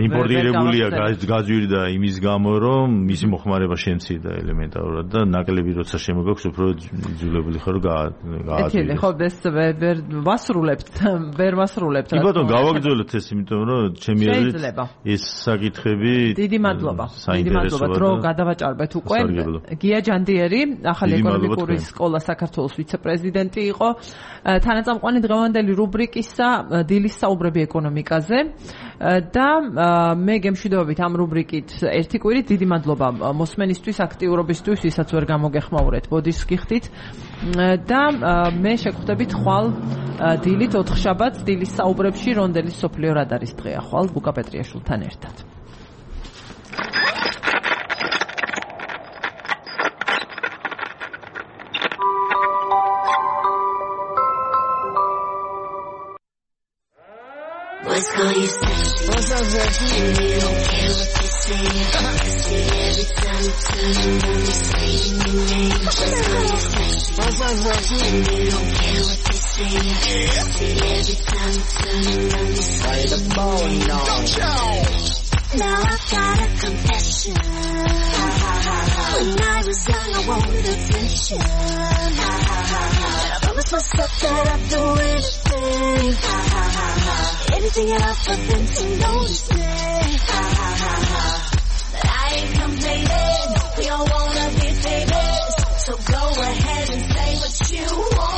იმპორტირებულია გაძვირდა იმის გამო რომ მისი მოხმარება შემცირდა ელემენტარულად და ნაკლები როცა შემოგაქვს უფრო იძულებული ხარ გააძვირდეს ხო ეს ვერ ვასრულებთ კი ბატონო გავაგრძელებთ ეს იმიტომ რომ ჩემი აზრით ეს საკითხები დიდი მადლობა დრო გადავაჭარბეთ უკვე გია ჯანდიერი ახალი ეკონომიკური სკოლა საქართველოს ვიცე-პრეზიდენტი იყო თანაწამყვანი დღევანდელი რუბრიკისა დილის საუბრები ეკონომიკაზე და მე გემშვიდობებით ამ რუბრიკით ერთი კვირით დიდი მადლობა მოსმენისთვის აქტიურობისთვის ვისაც ვერ გამოგეხმაურეთ ბოდის გიხდით და მე შეგხვდებით ხვალ დილით 4 შაბათს დილის საუბრებში რონდელის სოფლიო რადარის დღეა ხვალ ბუკა პეტრიაშვილთან ერთად Boys call you sexy. What's up, sexy? And you don't care what they say. Every time you turn around, they say your name. Boys call you sexy. What's up, sexy? And you don't care what they say. Every time you turn around, they say the bone Now I've got a confession. When I was young, I wanted attention. I promised myself that I'd do anything. Anything else but then to notice me. But I ain't complaining. We all wanna be famous. So go ahead and say what you want.